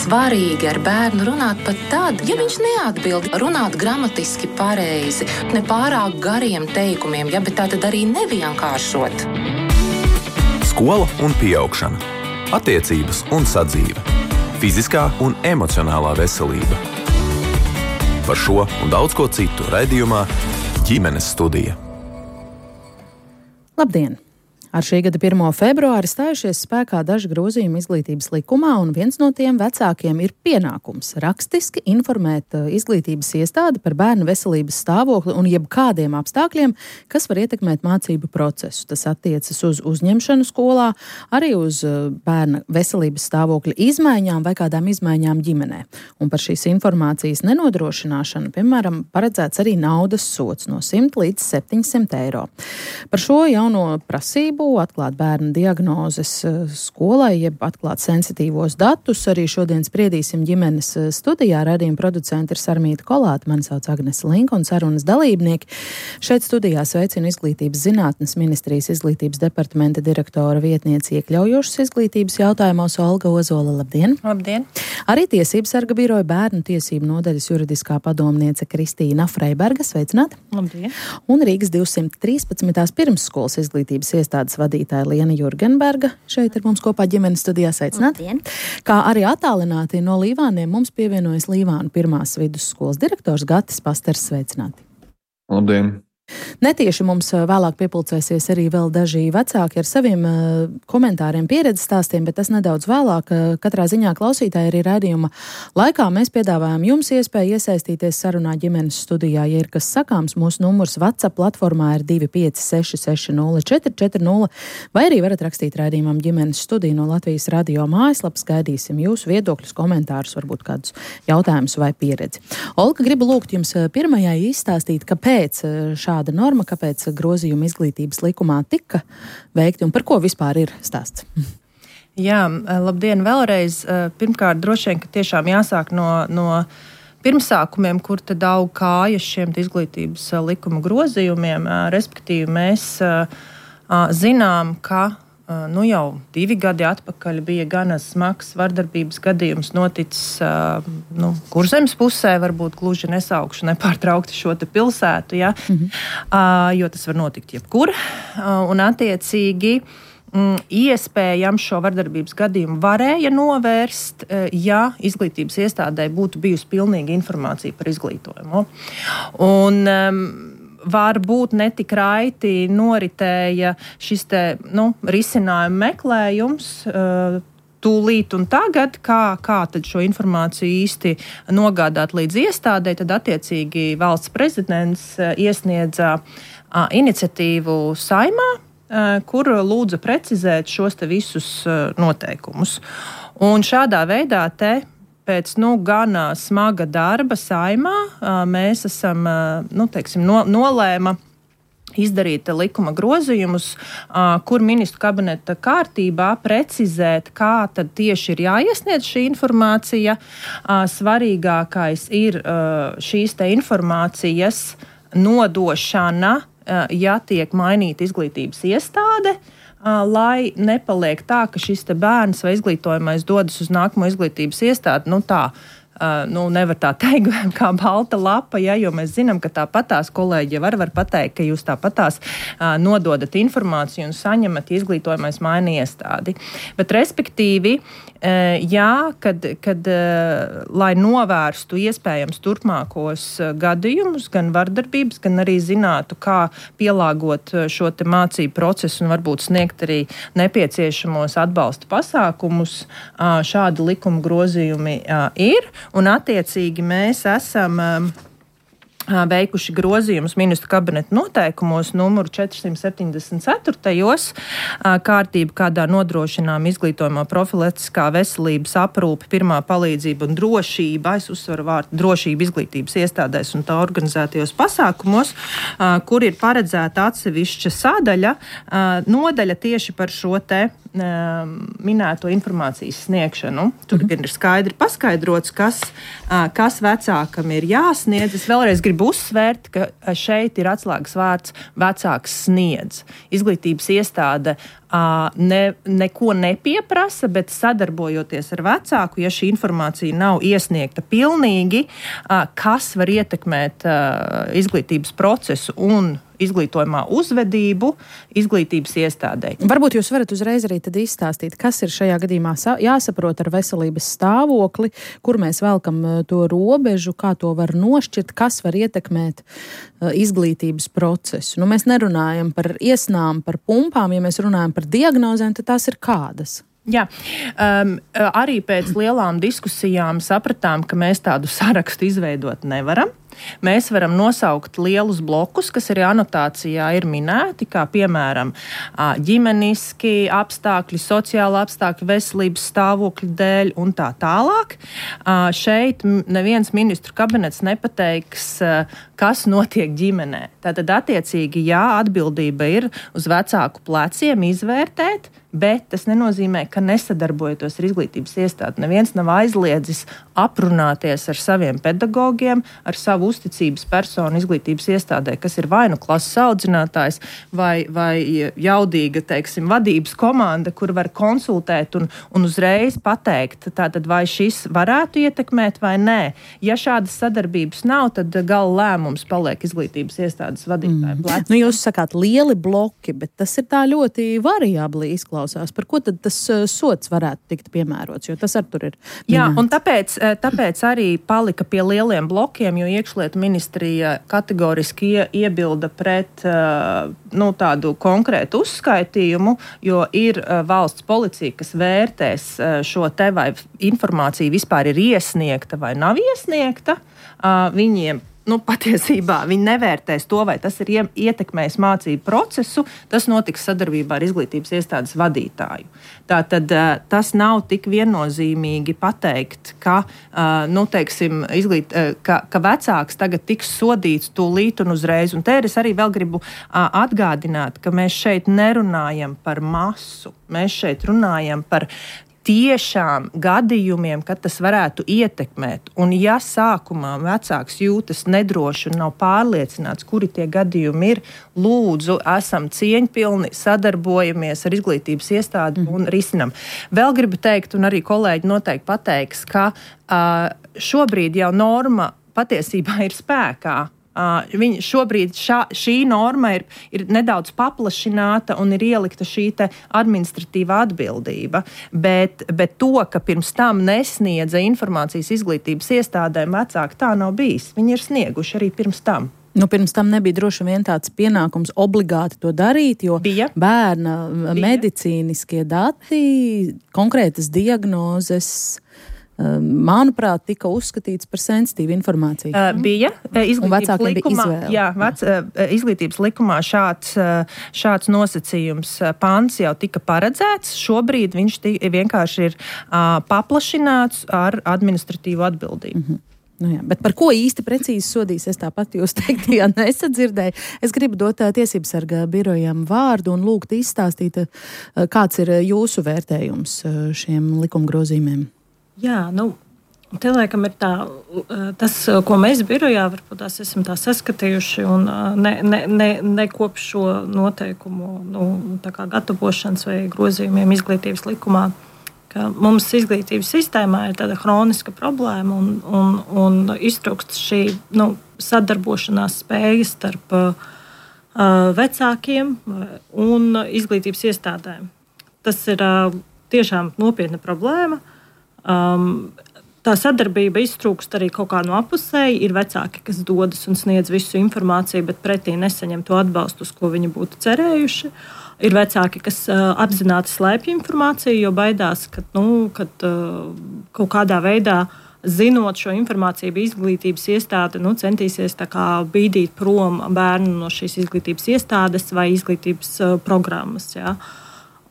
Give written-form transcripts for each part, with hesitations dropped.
svarīgi ar bērnu runāt pat tad, ja viņš neatbild, runāt gramatiski pareizi, ne pārāk gariem teikumiem, ja, bet tā tad arī nevienkāršot. Skola un pieaugšana, attiecības un sadzīve, fiziskā un emocionālā veselība. Par šo un daudz ko citu raidījumā Ģimenes studija. Labdien! Ar šī gada 1. februāri stājušies spēkā daži grozījumi izglītības likumā, un viens no tiem vecākiem ir pienākums rakstiski informēt izglītības iestādi par bērnu veselības stāvokli un jebkādiem apstākļiem, kas var ietekmēt mācību procesu. Tas attiecas uz uzņemšanu skolā, arī uz bērna veselības stāvokļa izmaiņām vai kādām izmaiņām ģimenē. Un par šīs informācijas nenodrošināšanu, piemēram, paredzēts arī naudas sods no 100 līdz 700 eiro. Par šo jauno prasību atklāt bērnu diagnozes skolai, jeb atklāt sensitīvos datus. Arī šodien spriedīsim ģimenes studijā. Raidījuma producenti ir Sarmīta Kolāte, mani sauc Agnese Linka un sarunas dalībnieki. Šeit studijā sveicinu Izglītības zinātnes ministrijas izglītības departamenta direktora vietniece iekļaujošas izglītības jautājumos Olga Ozola. Labdien! Labdien! Arī Tiesības sarga biroja bērnu tiesību nodaļas juridiskā padomniece Kristīna Freiberga. Sveicināti! Labdien! Un Rīgas 213. pirmsskolas izglītības iestādes vadītāja Liena Jurgenberga. Šeit ir mums kopā ģimenes studijā. Sveicināti! Kā arī attālināti no Līvāniem mums pievienojas Līvānu pirmās vidusskolas direktors Gatis Pasters. Sveicināti! Labdien! Netieši mums vēlāk piepulcēsies arī vēl daži vecāki ar saviem komentāriem, pieredzes stāstiem, bet tas nedaudz vēlāk. Katrā ziņā klausītāji arī raidījuma laikā mēs piedāvājam jums iespēju iesaistīties sarunā ģimenes studijā. Ja ir kas sakāms, mūsu numurs WhatsApp platformā ir 25660 vai arī varat rakstīt raidījumam ģimenes studiju no Latvijas radio mājaslapas. Gaidīsim jūsu viedokļus, komentārus, varbūt kādus jautājumus vai pieredzi. Olga, gribu lūgt jums pirmajai izstāstīt, kāpēc šāda norma, kāpēc grozījumi izglītības likumā tika veikti un par ko vispār ir stāsts? Jā, labdien vēlreiz. Pirmkārt, droši vien, ka tiešām jāsāk no pirmsākumiem, kur tad aug kājas šiem izglītības likuma grozījumiem. Respektīvi, mēs zinām, ka jau 2 gadi atpakaļ bija gana smags vardarbības gadījums noticis Kurzemes pusē, varbūt gluži nesaukšu nepārtraukti šo te pilsētu, ja? Jo tas var notikt jebkur. Un attiecīgi iespējams šo vardarbības gadījumu varēja novērst, ja izglītības iestādē būtu bijusi pilnīga informācija par izglītojumu. Un varbūt netik raiti noritēja šis te, risinājuma meklējums tūlīt un tagad, kā tad šo informāciju īsti nogādāt līdz iestādē, tad attiecīgi valsts prezidents iesniedza iniciatīvu Saeimā, kur lūdza precizēt šos te visus noteikumus. Un šādā veidā pēc gana smaga darba Saeimā mēs esam, nolēma izdarīt likuma grozījumus, kur ministru kabineta kārtībā precizēt, kā tad tieši ir jāiesniedz šī informācija. Svarīgākais ir šīs te informācijas nodošana, ja tiek mainīta izglītības iestāde, lai nepaliek tā, ka šis te bērns vai izglītojamais dodas uz nākamo izglītības iestādi, nevar tā teikt, kā balta lapa, ja, jo mēs zinām, ka tāpatās kolēģi var pateikt, ka jūs tāpatās nododat informāciju un saņemat izglītojamais maina iestādi. Bet respektīvi, kad lai novērstu iespējams turpmākos gadījumus, gan vardarbības, gan arī zinātu, kā pielāgot šo te mācību procesu un varbūt sniegt arī nepieciešamos atbalsta pasākumus, šādi likuma grozījumi ir. Un attiecīgi mēs esam veikuši grozījumus ministru kabineta noteikumos numuru 474. Kārtība, kādā nodrošinām izglītojumā profilaktiskā veselības aprūpe, pirmā palīdzība un drošība, es uzsveru vārdu drošība izglītības iestādēs un tā organizētajos pasākumos, kur ir paredzēta atsevišķa sadaļa, nodaļa tieši par šo te minēto informācijas sniegšanu. Tur ir skaidri paskaidrots, kas vecākam ir jāsniedz. Es vēlreiz gribu uzsvērt, ka šeit ir atslēgas vārds vecāks sniedz. Izglītības iestāde neko nepieprasa, bet sadarbojoties ar vecāku, ja šī informācija nav iesniegta pilnīgi, kas var ietekmēt izglītības procesu un izglītojumā uzvedību izglītības iestādē. Varbūt jūs varat uzreiz arī tad izstāstīt, kas ir šajā gadījumā jāsaprot ar veselības stāvokli, kur mēs velkam to robežu, kā to var nošķirt, kas var ietekmēt izglītības procesu. Nu, mēs nerunājam par iesnām, par pumpām, ja mēs runājam par diagnozēm, tad tās ir kādas? Jā, arī pēc lielām diskusijām sapratām, ka mēs tādu sarakstu izveidot nevaram. Mēs varam nosaukt lielus blokus, kas arī anotācijā ir minēti, kā piemēram ģimeniski apstākļi, sociāli apstākļi, veselības stāvokļi dēļ un tā tālāk. Šeit neviens ministru kabinets nepateiks, kas notiek ģimenē. Tātad attiecīgi, jā, atbildība ir uz vecāku pleciem izvērtēt, bet tas nenozīmē, ka nesadarbojoties ar izglītības iestādi. Neviens nav aizliedzis aprunāties ar saviem pedagogiem, ar savu uzticības personu izglītības iestādē, kas ir vai nu klases audzinātājs, vai jaudīga, teiksim, vadības komanda, kur var konsultēt un uzreiz pateikt, tātad vai šis varētu ietekmēt vai nē. Ja šādas sadarbības nav, tad gala lēmums paliek izglītības iestādes vadītāja plecā. Nu, jūs sakāt lieli bloki, bet tas ir tā ļoti variabli izklausās. Par ko tad tas sods varētu tikt piemērots, jo tas ar tur ir minēts. Jā, un tāpēc arī palika pie lieliem blokiem, jo iekšlietu ministrija kategoriski iebilda pret tādu konkrētu uzskaitījumu, jo ir valsts policija, kas vērtēs šo te vai informācija vispār ir iesniegta vai nav iesniegta. Viņiem patiesībā viņi nevērtēs to, vai tas ir ietekmējis mācību procesu, tas notiks sadarbībā ar izglītības iestādes vadītāju. Tātad tas nav tik viennozīmīgi pateikt, ka vecāks tagad tiks sodīts tūlīt un uzreiz. Un te es arī vēl gribu atgādināt, ka mēs šeit nerunājam par masu, mēs šeit runājam par tiešām gadījumiem, kad tas varētu ietekmēt. Un ja sākumā vecāks jūtas nedroši un nav pārliecināts, kuri tie gadījumi ir, lūdzu, esam cieņpilni, sadarbojamies ar izglītības iestādi un risinam. Vēl gribu teikt, un arī kolēģi noteikti pateiks, ka šobrīd jau norma patiesībā ir spēkā. Šobrīd šī norma ir nedaudz paplašināta un ir ielikta šī te administratīvā atbildība, bet to, ka pirms tam nesniedza informācijas izglītības iestādēm vecāki, tā nav bijis. Viņi ir snieguši arī pirms tam. Nu, pirms tam nebija droši vien tāds pienākums obligāti to darīt, jo bērna medicīniskie dati, konkrētas diagnozes, manuprāt, tika uzskatīts par sensitīvu informāciju. Bija izglītības likumā šāds nosacījums pants jau tika paredzēts. Šobrīd viņš vienkārši ir paplašināts ar administratīvu atbildību. Nu jā, bet par ko īsti precīzi sodīs, es tāpat jūs teiktajā nesadzirdēju. Es gribu dot Tiesības sarga birojam vārdu un lūgt izstāstīt, kāds ir jūsu vērtējums šiem likumgrozījumiem. Jā, te laikam ir tas, ko mēs birojā varbūt tās esam tā saskatījuši un ne kopš šo noteikumu tā kā gatavošanas vai grozījumiem izglītības likumā, ka mums izglītības sistēmā ir tāda hroniska problēma un iztrūkst šī sadarbošanās spējas starp vecākiem un izglītības iestādēm. Tas ir tiešām nopietna problēma. Tā sadarbība iztrūkst arī kaut kā no apusēji. Ir vecāki, kas dodas un sniedz visu informāciju, bet pretī nesaņem to atbalstu, uz ko viņi būtu cerējuši. Ir vecāki, kas apzināti slēpj informāciju, jo baidās, ka kaut kādā veidā, zinot šo informāciju, izglītības iestāde centīsies tā kā bīdīt prom bērnu no šīs izglītības iestādes vai izglītības programmas. Jā.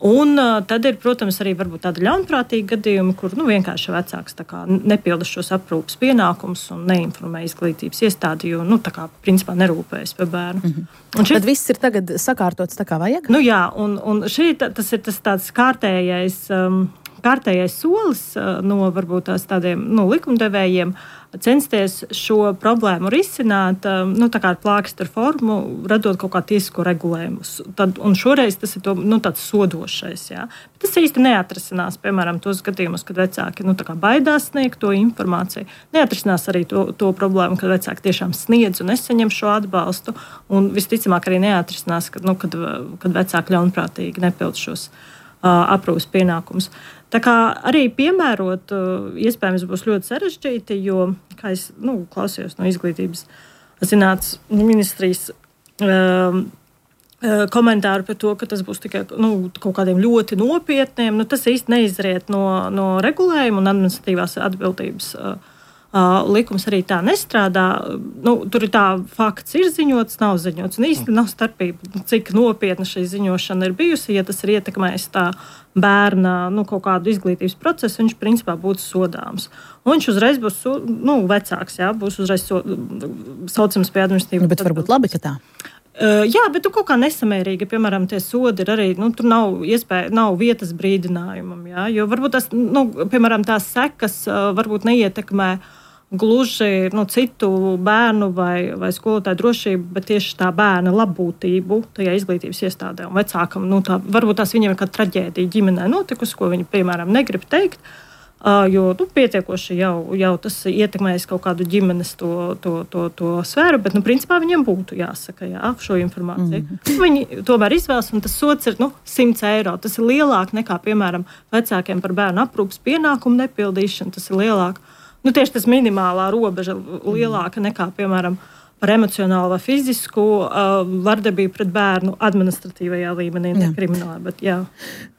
Un tad ir, protams, arī varbūt tāda ļaunprātīga gadījuma, kur vienkārši vecāks tā kā nepilda šos aprūpes pienākumus un neinformē izglītības iestādi, jo principā nerūpējas par bērnu. Tad viss ir tagad sakārtots tā kā vajag? Jā, un tas ir tas tāds kārtējais kārtējais solis no varbūt tādiem likumdevējiem censties šo problēmu risināt tā kā ar plāksteru formu, radot kaut kā tiesisko regulējumu. Un šoreiz tas ir tāds sodošais. Jā. Bet tas īsti neatrisinās, piemēram, tos gadījumus, kad vecāki tā kā baidās sniegt to informāciju. Neatrisinās arī to problēmu, kad vecāki tiešām sniedz un nesaņem šo atbalstu. Un visticamāk arī neatrisinās, kad vecāki ļaunprātīgi nepild šos aprūpes pienākumus. Tā kā arī piemērot, iespējams, būs ļoti sarežģīti, jo, kā es klausījos no izglītības zinātnes ministrijas komentāru par to, ka tas būs tikai kaut kādiem ļoti nopietniem, tas īsti neizriet no regulējuma un administratīvās atbildības likums arī tā nestrādā. Tur ir tā fakts, ir ziņots, nav ziņots. Un īsti nav starpība, cik nopietna šī ziņošana ir bijusi. Ja tas ir ietekmējis tā bērna kaut kādu izglītības procesu, viņš principā būtu sodāms. Un viņš uzreiz būs vecāks, jā, būs uzreiz saucams pie administratīvas. Bet varbūt labi, ka tā. Jā, bet kaut kā nesamērīgi, piemēram, tie sodi ir arī, tur nav vietas brīdinājumam, jā, jo varbūt tas, piemēram, tās sekas varbūt neietekmē gluži citu bērnu vai skolotāju drošību, bet tieši tā bērna labbūtību tajā izglītības iestādē. Un vecākam, varbūt tās viņiem ir kāda traģēdija ģimenē notikusi, ko viņi, piemēram, negrib teikt, jo pietiekoši jau tas ietekmēs kaut kādu ģimenes to sfēru, bet, principā viņiem būtu jāsaka, šo informāciju. Viņi tomēr izvēlas, un tas sots ir 100 eiro. Tas ir lielāk nekā, piemēram, vecākiem par bērnu aprūpes pienākumu nepildīšanu. Tas ir lielāk. Tieši tas minimālā robeža lielāka nekā, piemēram, par emocionālu vai fizisku vardarbību pret bērnu administratīvajā līmenī, ne kriminālā. Bet, jā.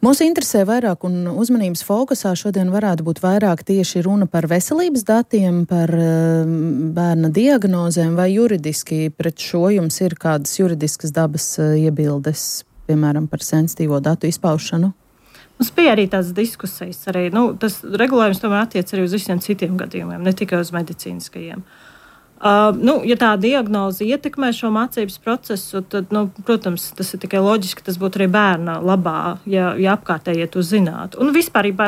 Mūs interesē vairāk un uzmanības fokusā šodien varētu būt vairāk tieši runa par veselības datiem, par bērna diagnozēm vai juridiski pret šo jums ir kādas juridiskas dabas iebildes, piemēram, par sensitīvo datu izpaušanu? Mums bija arī tādas diskusijas. Arī, tas regulējums tomēr attiec arī uz visiem citiem gadījumiem, ne tikai uz medicīniskajiem. Ja tā diagnoze ietekmē šo mācības procesu, tad, protams, tas ir tikai loģiski, ka tas būtu arī bērna labā, ja apkārtējie to zinātu. Un vispārībā,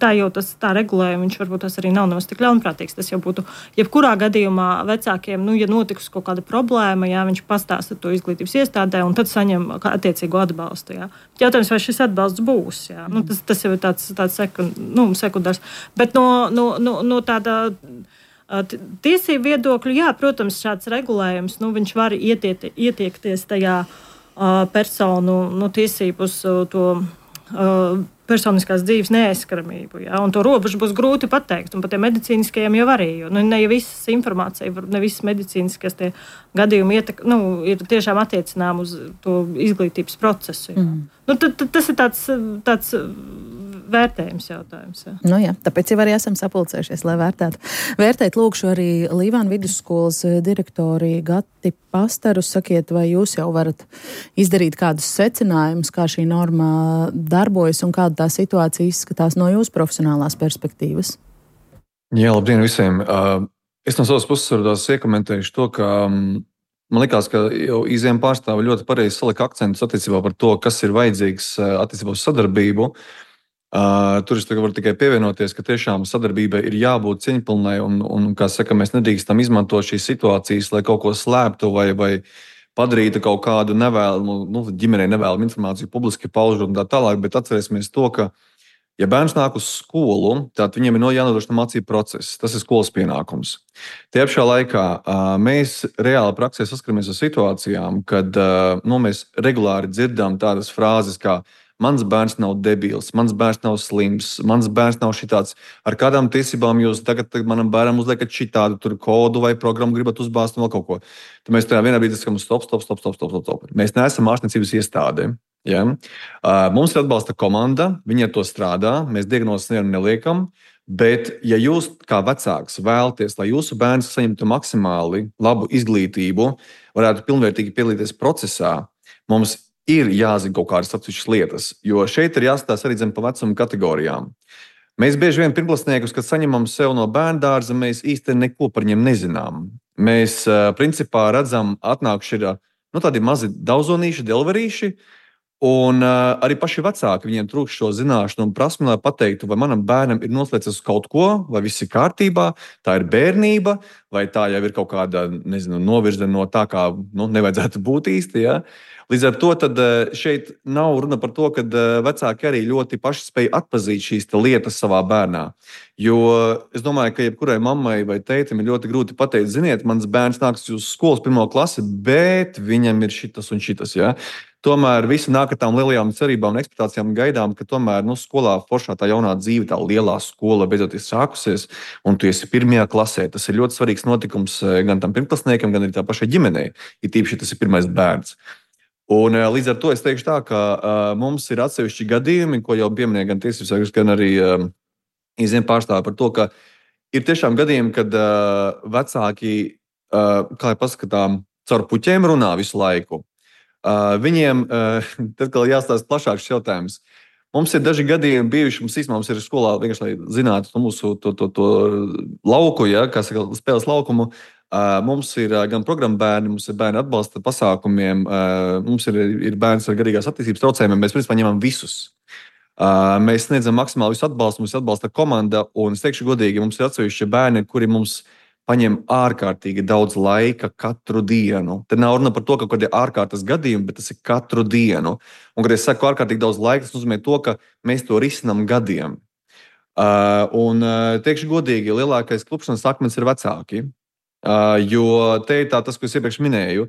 tā jau tā regulējuma, viņš varbūt tas arī nav nemaz tik ļaunprātīgs. Tas jau būtu, jebkurā gadījumā vecākiem, ja notikusi kaut kāda problēma, jā, viņš pastāsta to izglītības iestādē un tad saņem attiecīgo atbalstu. Jā. Jautājums, vai šis atbalsts būs, jā. Tas jau ir tāds sekundārs. Bet no tāda tiesību viedokļu, jā, protams, šāds regulējums, viņš var ietiekties tajā personu tiesību uz to personiskās dzīves neaizskaramību, jā, un to robežu būs grūti pateikt, un pat medicīniskajiem jau arī, jo ne visas informācija, ne visas medicīniskas tie gadījumi ir tiešām attiecinām uz to izglītības procesu. Tas ir tāds vērtējums jautājums. Jā. Jā, tāpēc jau arī esam sapulcējušies, lai vērtētu. Vērtēt lūkšu arī Līvānu vidusskolas direktori Gati Pastaru. Sakiet, vai jūs jau varat izdarīt kādus secinājumus, kā šī norma darbojas un kāda tā situācija izskatās no jūsu profesionālās perspektīvas? Jā, labdien visiem. Es no savas puses varu iekomentēšu to, ka man likās, ka jau IZM pārstāvi ļoti pareizi salika akcentus attiecībā par to, kas ir vajadzīgs attiecībā uz sadarbību. Tur es varu tikai pievienoties, ka tiešām sadarbībai ir jābūt cieņpilnai un kā saka, mēs nedrīkstam izmantot šīs situācijas, lai kaut ko slēptu vai padarītu kaut kādu nevēlamu, ģimenei nevēlamu informāciju publiski paužot un tā tālāk, bet atcerēsimies to, ka ja bērns nāk uz skolu, tad viņiem ir jānodrošina mācību process. Tas ir skolas pienākums. Tie apšā laikā mēs reāli praksē saskaramies ar situācijām, kad mēs regulāri dzirdam tādas frāzes kā mans bērns nav debils, mans bērns nav slims, mans bērns nav šitāds. Ar kādām tiesībām jūs tagad manam bērnam uzliekat šitādu tur kodu vai programmu gribat uzbāzt un vēl kaut ko. Tad mēs tajā vienā brīdī sakam stop. Mēs neesam ārstniecības iestāde. Ja? Mums ir atbalsta komanda, viņi ar to strādā, mēs diagnozes neliekam, bet ja jūs kā vecāks vēlaties, lai jūsu bērns saņemtu maksimāli labu izglītību, varētu pilnvērtīgi piedalīties procesā, mums ir jāzina kaut kādas atsevišķas lietas, jo šeit ir jāstāsta arī pa vecuma kategorijām. Mēs bieži vien pirmklasniekus, kad saņemam sev no bērndārza, mēs īsti neko par viņiem nezinām. Mēs principā redzam, atnākuši ir tādi mazi daudzonīši, delverīši, Un arī paši vecāki, viņiem trūkst šo zināšanu un prasmi, lai pateiktu, vai manam bērnam ir noslēdzies uz kaut ko, vai viss ir kārtībā, tā ir bērnība, vai tā jau ir kaut kāda, novirze no tā, kā nevajadzētu būt īsti. Ja? Līdz ar to šeit nav runa par to, ka vecāki arī ļoti paši spēj atpazīt šīs lietas savā bērnā. Jo es domāju, ka jebkurai mammai vai tētim ir ļoti grūti pateikt, ziniet, mans bērns nāks uz skolas 1. klasi, bet viņam ir šitas un šitas. Ja? Tomēr visi nāk ar tām lielajām cerībām un ekspektācijām un gaidām, ka tomēr skolā foršā tā jaunā dzīve, tā lielā skola beidzot ir sākusies, un tu esi 1. klasē. Tas ir ļoti svarīgs notikums gan tam pirmklasniekam, gan arī tā pašai ģimenei, ja tīpaši tas ir pirmais bērns. Un līdz ar to es teikšu tā, ka mums ir atsevišķi gadījumi, ko jau pieminēja gan tiesības sargs, gan arī iziem pārstāvi par to, ka ir tiešām gadījumi, kad vecāki, kā jau paskatām, caur puķiem runā visu laiku. Viņiem tad jāstāsta plašāks jautājums. Mums ir daži gadījumi bijuši, mums ir skolā vienkārši, lai zinātu mūsu to lauku, ja, kā saka, spēles laukumu. Mums ir gan programma bērni, mums ir bērni atbalsta pasākumiem, mums ir bērns ar garīgās attīstības traucējumiem. Mēs principā ņemam visus. Mēs sniedzam maksimāli visu atbalstu, mums atbalsta komanda, un es teikšu godīgi, mums ir atsevišķi bērni, kuri mums paņem ārkārtīgi daudz laika katru dienu. Te nav runa par to, ka kaut kādi ārkārtas gadījumi, bet tas ir katru dienu. Un, kad es saku ārkārtīgi daudz laika, tas nozīmē to, ka mēs to risinām gadiem. Un teikšu godīgi, lielākais klupšanas akmens ir vecāki. Jo te ir tas, ko es iepriekš minēju,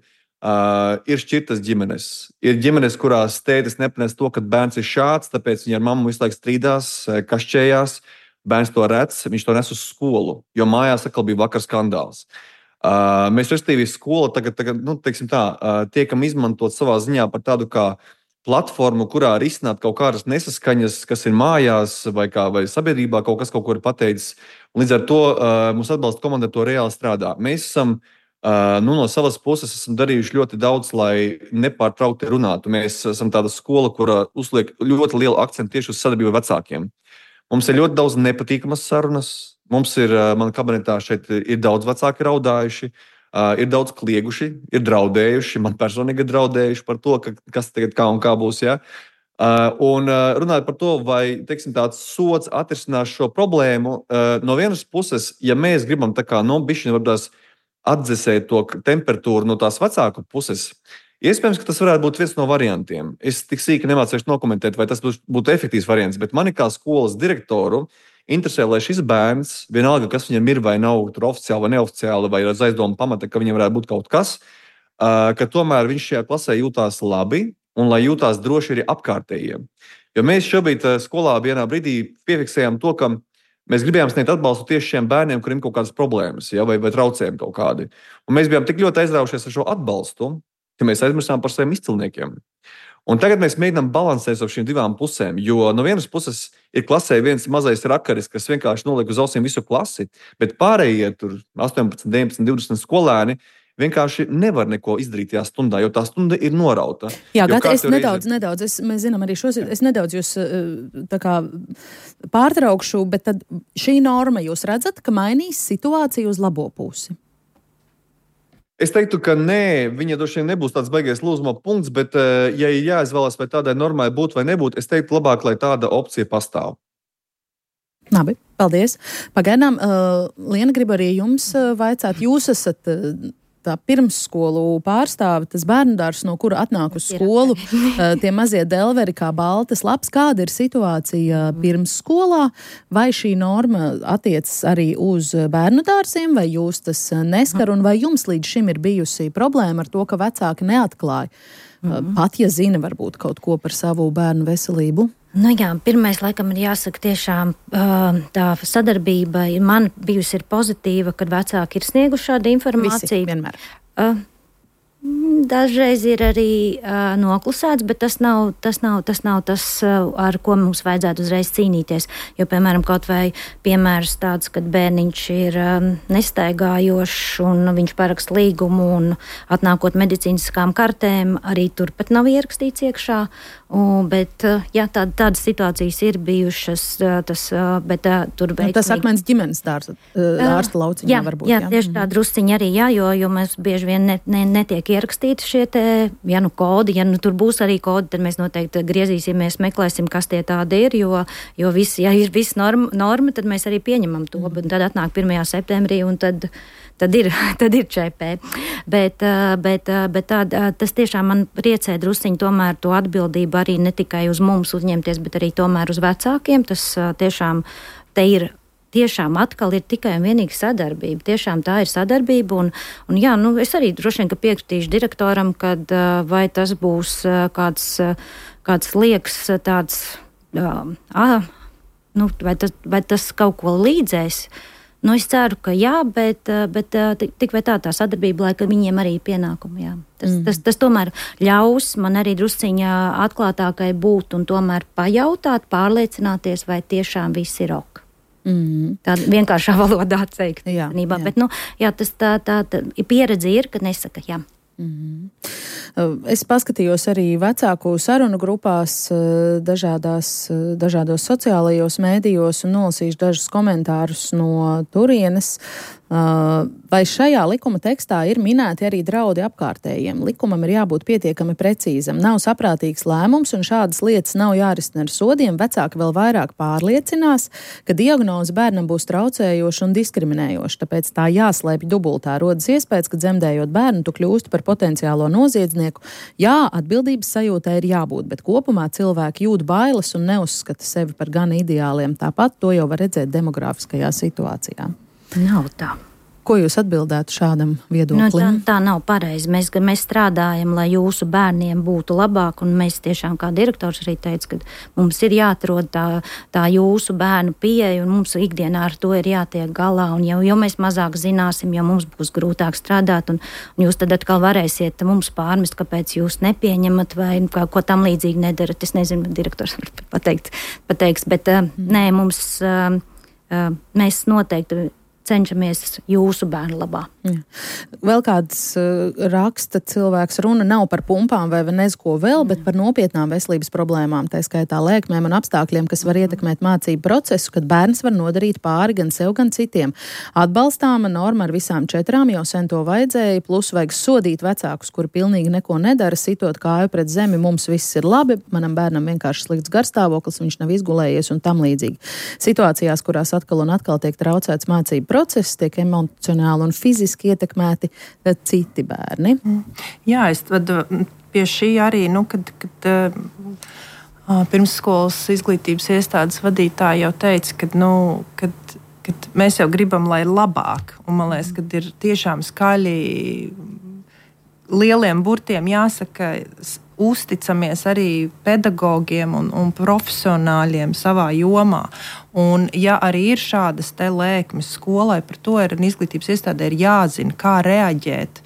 ir šķirtas ģimenes. Ir ģimenes, kurās tētis nepanes to, ka bērns ir šāds, tāpēc viņi ar mammu visu laiku strīdās, kašķējās. Bērns to redz, viņš to nes uz skolu, jo mājās atkal bija vakar skandāls. Mēs, respektīvi, skola tagad tiekam izmantot savā ziņā par tādu kā platformu, kurā risināt kaut kādas nesaskaņas, kas ir mājās vai sabiedrībā kaut ko ir pateicis. Līdz ar to mums atbalsta komanda to reāli strādā. Mēs esam no savas puses darījuši ļoti daudz, lai nepārtraukti runātu. Mēs esam tāda skola, kura uzliek ļoti lielu akcentu tieši uz sadarbību ar vecākiem. Mums ir ļoti daudz nepatīkamas sarunas. Mums ir, man kabinetā šeit ir daudz vecāki raudājuši, ir daudz klieguši, ir draudējuši, man personīgi ir draudējuši par to, kas tagad kā un kā būs. Ja? Un runājot par to, vai tāds sods atrisinās šo problēmu, no vienas puses, ja mēs gribam tā kā bišķiņi varbūt atdzesēt to temperatūru no tās vecāku puses, iespējams, ka tas varētu būt viens no variantiem. Es tik sīki nemācīšu nokomentēt, vai tas būtu efektīvs variants, bet mani kā skolas direktoru interesē, lai šis bērns, vienalga, kas viņam ir vai nav oficiāli vai neoficiāli, vai ar aizdomu pamata, ka viņam varētu būt kaut kas, ka tomēr viņš šajā klasē jūtās labi un lai jūtās droši arī apkārtējiem. Jo mēs šobrīd skolā vienā brīdī piefiksējām to, ka mēs gribējām sniegt atbalstu tieši šiem bērniem, kuriem ir kaut kādas problēmas, ja, vai traucējumi kaut kādi. Un mēs bijām tik ļoti aizraujušies ar šo atbalstu, ka mēs aizmirsām par saviem izcilniekiem. Un tagad mēs mēģinām balansēt ar šīm divām pusēm, jo no vienas puses ir klasē viens mazais rakaris, kas vienkārši noliek uz ausīm visu klasi, bet pārējie tur 18, 19, 20 skolēni vienkārši nevar neko izdarīt tajā stundā, jo tā stunda ir norauta. Jā, Gata, es nedaudz, mēs zinām arī šos, es nedaudz jūs tā kā pārtraukšu, bet tad šī norma jūs redzat, ka mainīs situāciju uz labo pusi? Es teiktu, ka nē, viņa droši vien nebūs tāds baigais lūzuma punkts, bet, ja ir jāizvēlas, vai tādai normai būt vai nebūt, es teiktu labāk, lai tāda opcija pastāv. Labi, paldies. Pagaidām, Liena, gribu arī jums vaicāt, jūs esat tā pirmsskolu pārstāve, tas bērnudārs, no kura atnāk uz skolu, tie mazie delveri kā baltas lapas. Kāda ir situācija pirmsskolā? Vai šī norma attiecas arī uz bērnudārsiem, vai jūs tas neskar, un vai jums līdz šim ir bijusi problēma ar to, ka vecāki neatklāja, pat ja zina varbūt kaut ko par savu bērnu veselību? Nu jā, pirmais, laikam, ir jāsaka tiešām tā sadarbība man bijusi ir pozitīva, kad vecāki ir snieguši šādu informāciju. Visi vienmēr. Dažreiz ir arī noklusēts, bet tas nav tas, ar ko mums vajadzētu uzreiz cīnīties. Jo, piemēram, kaut vai piemērs tāds, kad bērniņš ir nestaigājošs un viņš paraksta līgumu un atnākot medicīniskām kartēm, arī turpat nav ierakstīts iekšā. Bet jā, tādas situācijas ir bijušas, bet tur veiksmīgi. Tas akmens ģimenes ārsta lauciņā varbūt. Jā, tieši tā drusciņa arī, jo mēs bieži vien netiek ierakstīti šie te, kodi, tur būs arī kodi, tad mēs noteikti griezīsimies, meklēsim, kas tie tādi ir, jo ja ir viss norma, tad mēs arī pieņemam to, un tad atnāk 1. septembrī, un tad ir ČP. Bet tas tiešām man priecē drusciņi tomēr to atbildību arī ne tikai uz mums uzņemties, bet arī tomēr uz vecākiem. Tas tiešām te ir. Tiešām atkal ir tikai un vienīgi sadarbība. Tiešām tā ir sadarbība, un jā, es arī droši vien, ka piekritīšu direktoram, kad vai tas būs kāds liekas tāds, vai tas kaut ko līdzēs. Es ceru, ka jā, bet tik vai tā sadarbība, lai viņiem arī ir pienākumi, jā. Tas tomēr ļaus man arī drusciņā atklātākai būt un tomēr pajautāt, pārliecināties, vai tiešām viss ir ok. Tā vienkāršā valodā teikt. Jā. Bet, tā pieredze ir, ka nesaka jā. Es paskatījos arī vecāku sarunu grupās dažādos sociālajos mēdījos un nolasīšu dažus komentārus no turienes. Vai šajā likuma tekstā ir minēti arī draudi apkārtējiem? Likumam ir jābūt pietiekami precīzam. Nav saprātīgs lēmums un šādas lietas nav jārisina ar sodiem. Vecāki vēl vairāk pārliecinās, ka diagnoze bērnam būs traucējoša un diskriminējoša. Tāpēc tā jāslēpj dubultā. Rodas iespējas, ka dzemdējot bērnu, tu kļūsti par potenciālo noziedznieku. Jā, atbildības sajūtai ir jābūt, bet kopumā cilvēki jūt bailes un neuzskata sevi par gan ideāliem. Tāpat to jau var redzēt demografiskajā situācijā. Nav tā. Ko jūs atbildētu šādam viedoklim? Tā nav pareizi. Mēs strādājam, lai jūsu bērniem būtu labāk, un mēs tiešām, kā direktors arī teica, ka mums ir jāatrod tā jūsu bērnu pieeja, un mums ikdienā ar to ir jātiek galā, un jo mēs mazāk zināsim, jo mums būs grūtāk strādāt, un jūs tad atkal varēsiet mums pārmest, kāpēc jūs nepieņemat vai ko tam līdzīgi nedarat. Es nezinu, direktors pateiks, bet nē, mēs noteikti cenšamies jūsu bērnu labā. Jā. Vēl kāds raksta cilvēks, runa nav par pumpām vai nezko vēl, bet par nopietnām veselības problēmām, tā skaitā lēkmēm un apstākļiem, kas var ietekmēt mācību procesu, kad bērns var nodarīt pāri gan sev, gan citiem. Atbalstāma norma ar visām 4, jau sen to vajadzēja, plus vajag sodīt vecākus, kuri pilnīgi neko nedara, sitot kāju pret zemi, mums viss ir labi, manam bērnam vienkārši slikts garstāvoklis, viņš nav izgulējies un tam līdzīgi. Situācijās, kurās atkal un atkal tiek traucēts mācību process, tiek emocionāli un fiziski ietekmēti citi bērni. Jā, es pie šī arī, kad pirmsskolas izglītības iestādes vadītāji jau teica, kad mēs jau gribam, lai ir labāk, un man liekas, kad ir tiešām skaļi lieliem burtiem jāsaka, uzticamies arī pedagogiem un profesionāļiem savā jomā. Un, ja arī ir šādas te lēkmes skolai, par to ir izglītības iestādē ir jāzina, kā reaģēt,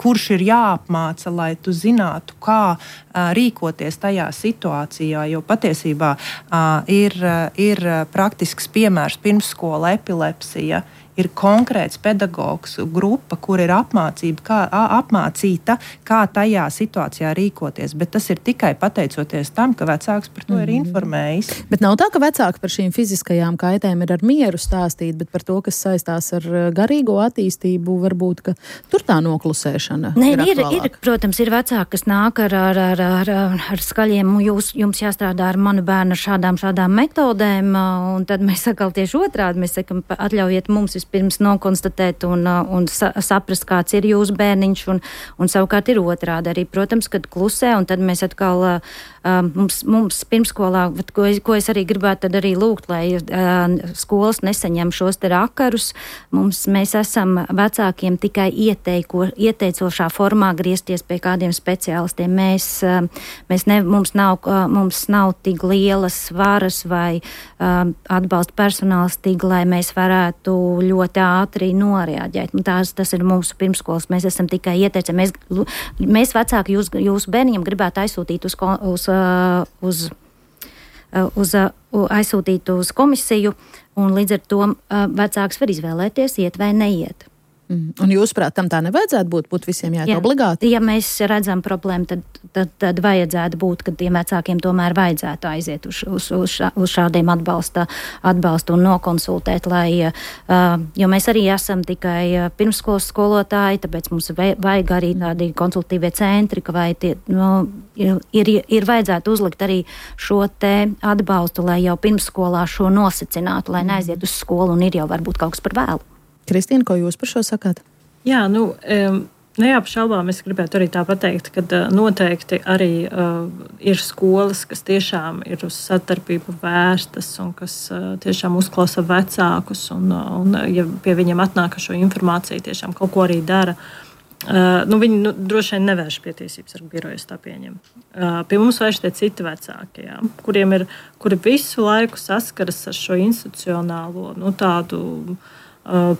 kurš ir jāapmāca, lai tu zinātu, kā rīkoties tajā situācijā, jo patiesībā ir praktisks piemērs pirmsskola epilepsija, ir konkrēts pedagogs grupa, kur ir apmācīta, kā tajā situācijā rīkoties. Bet tas ir tikai pateicoties tam, ka vecāks par to ir informējis. Bet nav tā, ka vecāki par šīm fiziskajām kaitēm ir ar mieru stāstīt, bet par to, kas saistās ar garīgo attīstību, varbūt, ka tur tā noklusēšana ir aktuālāka. Protams, ir vecāki, kas nāk ar skaļiem, jums jāstrādā ar manu bērnu ar šādām metodēm, un tad mēs sakal tieši otrādi, mēs sakam, atļaujiet mums vispirms nokonstatēt un saprast, kāds ir jūsu bērniņš, un savukārt ir otrādi arī, protams, kad klusē, un tad mēs atkal mums pirmskolā, ko es arī gribētu tad arī lūgt, lai skolas nesaņem šos te rakarus, mēs esam vecākiem tikai ieteicošā formā griezties pie kādiem speciālistiem. Mums nav tik lielas varas vai atbalsta personāls tik, lai mēs varētu ļoti ātri noreaģēt. Tas ir mūsu pirmskolas. Mēs esam tikai ieteici. Mēs vecāki jūsu bērniņam gribētu aizsūtīt aizsūtīt uz komisiju, un līdz ar to vecāks var izvēlēties, iet vai neiet. Un jūsuprāt, tam tā nevajadzētu būt visiem jāiet obligāti? Ja mēs redzam problēmu, tad vajadzētu būt, ka tiem vecākiem tomēr vajadzētu aiziet uz šādiem atbalstu un nokonsultēt, jo mēs arī esam tikai pirmsskolas skolotāji, tāpēc mums vajag arī tādi konsultīvie centri, ka ir vajadzētu uzlikt arī šo te atbalstu, lai jau pirmsskolā šo nosacinātu, lai neaiziet uz skolu un ir jau varbūt kaut kas par vēlu. Kristīna, ko jūs par šo sakāt? Jā, neapšaubām es gribētu arī tā pateikt, ka noteikti arī ir skolas, kas tiešām ir uz sadarbību vērstas un kas tiešām uzklausa vecākus un ja pie viņiem atnāk šo informāciju, tiešām kaut ko arī dara. Viņi droši vien nevērš pie tiesības sargu birojas, tā pieņem. Pie mums vērš tie citi vecāki, kuri visu laiku saskaras ar šo institucionālo tādu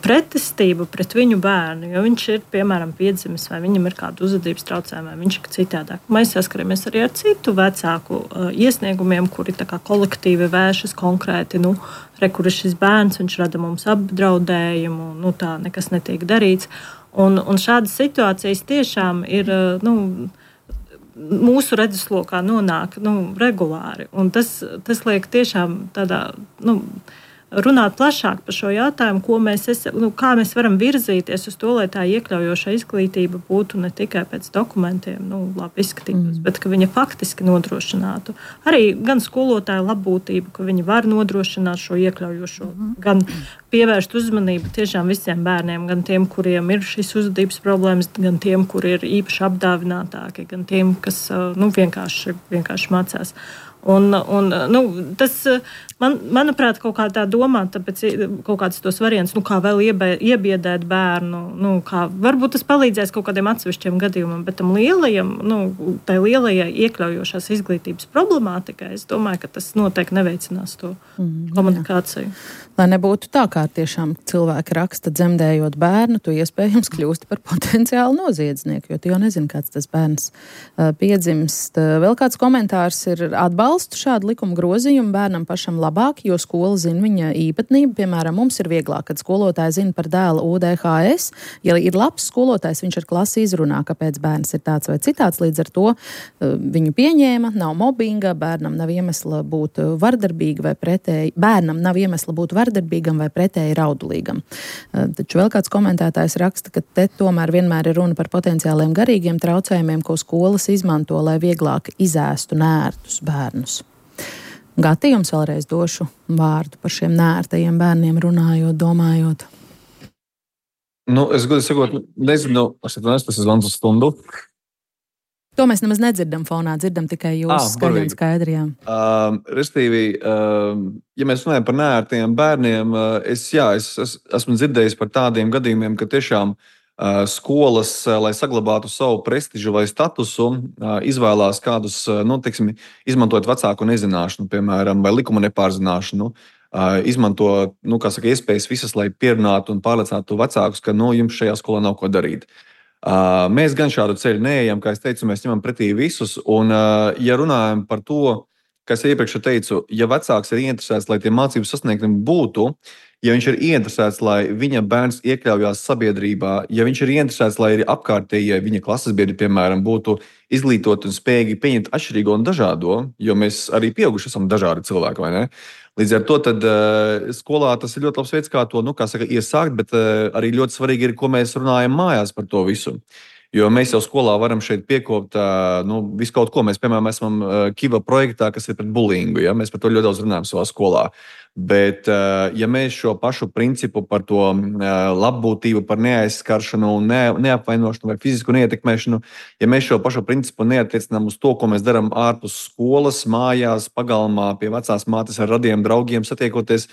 pretestību pret viņu bērnu, jo viņš ir, piemēram, piedzimis vai viņam ir kāda uzvedības traucējuma, vai viņš ir citādāk. Mēs saskaramies arī ar citu vecāku iesniegumiem, kuri tā kā kolektīvi vēršas konkrēti, kur ir šis bērns, viņš rada mums apdraudējumu, tā nekas netiek darīts. Un šādas situācijas tiešām ir, mūsu redzeslokā nonāk, regulāri. Un tas liek tiešām tādā, runāt plašāk par šo jautājumu, kā mēs varam virzīties uz to, lai tā iekļaujoša izglītība būtu ne tikai pēc dokumentiem, labi izskatītos, bet ka viņa faktiski nodrošinātu arī gan skolotāju labbūtību, ka viņi var nodrošināt šo iekļaujošo, gan pievērst uzmanību tiešām visiem bērniem, gan tiem, kuriem ir šīs uzvedības problēmas, gan tiem, kuri ir īpaši apdāvinātāki, gan tiem, kas vienkārši mācās. Un tas, manuprāt, kaut kā tā domā, tāpēc kaut kāds tos variants, kā vēl iebiedēt bērnu, kā varbūt tas palīdzēs kaut kādiem atsevišķiem gadījumam, bet tam lielajam, tai lielajai iekļaujošās izglītības problemātikai, es domāju, ka tas noteikti neveicinās to komunikāciju. Lai nebūtu tā, kā tiešām cilvēki raksta, dzemdējot bērnu, tu iespējams kļūsti par potenciālu noziedznieku, jo tu jau nezini, kāds tas bērns piedzimst. Vēl kāds komentārs ir atbalstu šādu likuma grozījumu bērnam pašam labāk, jo skola zina viņa īpatnību. Piemēram, mums ir vieglāk, kad skolotāji zina par dēla UDHS. Ja ir labs skolotājs, viņš ar klasi izrunā, kāpēc bērns ir tāds vai citāds. Līdz ar to viņu pieņēma, nav mobbinga, bērnam nav iemesla būt vardarbīga vai pretēji. Bērnam nav iemesla būt vardarbīgam vai pretēji raudulīgam. Taču vēl kāds komentētājs raksta, ka te tomēr vienmēr ir runa par potenciāliem garīgiem traucējumiem, ko skolas izmanto, lai vieglāk izēstu nērtus bērnus. Gati, jums vēlreiz došu vārdu par šiem nērtajiem bērniem runājot, domājot. Es godīgi sakot, nezinu, tas ir zvans uz stundu. To mēs nemaz nedzirdam fonā, dzirdam tikai jūsu skaļi un skaidri. Restīvi, ja mēs runājam par nērtiem bērniem, es esmu dzirdējis par tādiem gadījumiem, ka tiešām skolas, lai saglabātu savu prestižu vai statusu, izvēlās kādus, izmantojot vecāku nezināšanu, piemēram, vai likuma nepārzināšanu, izmanto, iespējas visas, lai pierunātu un pārliecinātu vecākus, ka, jums šajā skolā nav ko darīt. Mēs gan šādu ceļu neejam, kā es teicu, mēs ņemam pretī visus, un ja runājam par to, kā es iepriekš teicu, ja vecāks ir ieinteresēts, lai tie mācību sasniegumi būtu, ja viņš ir ieinteresēts, lai viņa bērns iekļaujās sabiedrībā, ja viņš ir ieinteresēts, lai arī apkārtējie viņa klases biedri, piemēram, būtu izglītoti un spējīgi pieņemt atšķirīgo un dažādo, jo mēs arī pieauguši esam dažādi cilvēki, vai ne? Līdz ar to tad, skolā tas ir ļoti labs veids, kā to iesākt, bet arī ļoti svarīgi ir, ko mēs runājam mājās par to visu. Jo mēs jau skolā varam šeit piekopt visu kaut ko. Mēs, piemēram, esam Kiva projektā, kas ir pret bullyingu. Ja? Mēs par to ļoti daudz runājam savā skolā. Bet, ja mēs šo pašu principu par to labbūtību, par neaizskaršanu, neapvainošanu vai fizisku neietekmēšanu, ja mēs šo pašu principu neatiecinām uz to, ko mēs darām ārpus skolas, mājās, pagalmā, pie vecās mātes ar radiem draugiem satiekoties,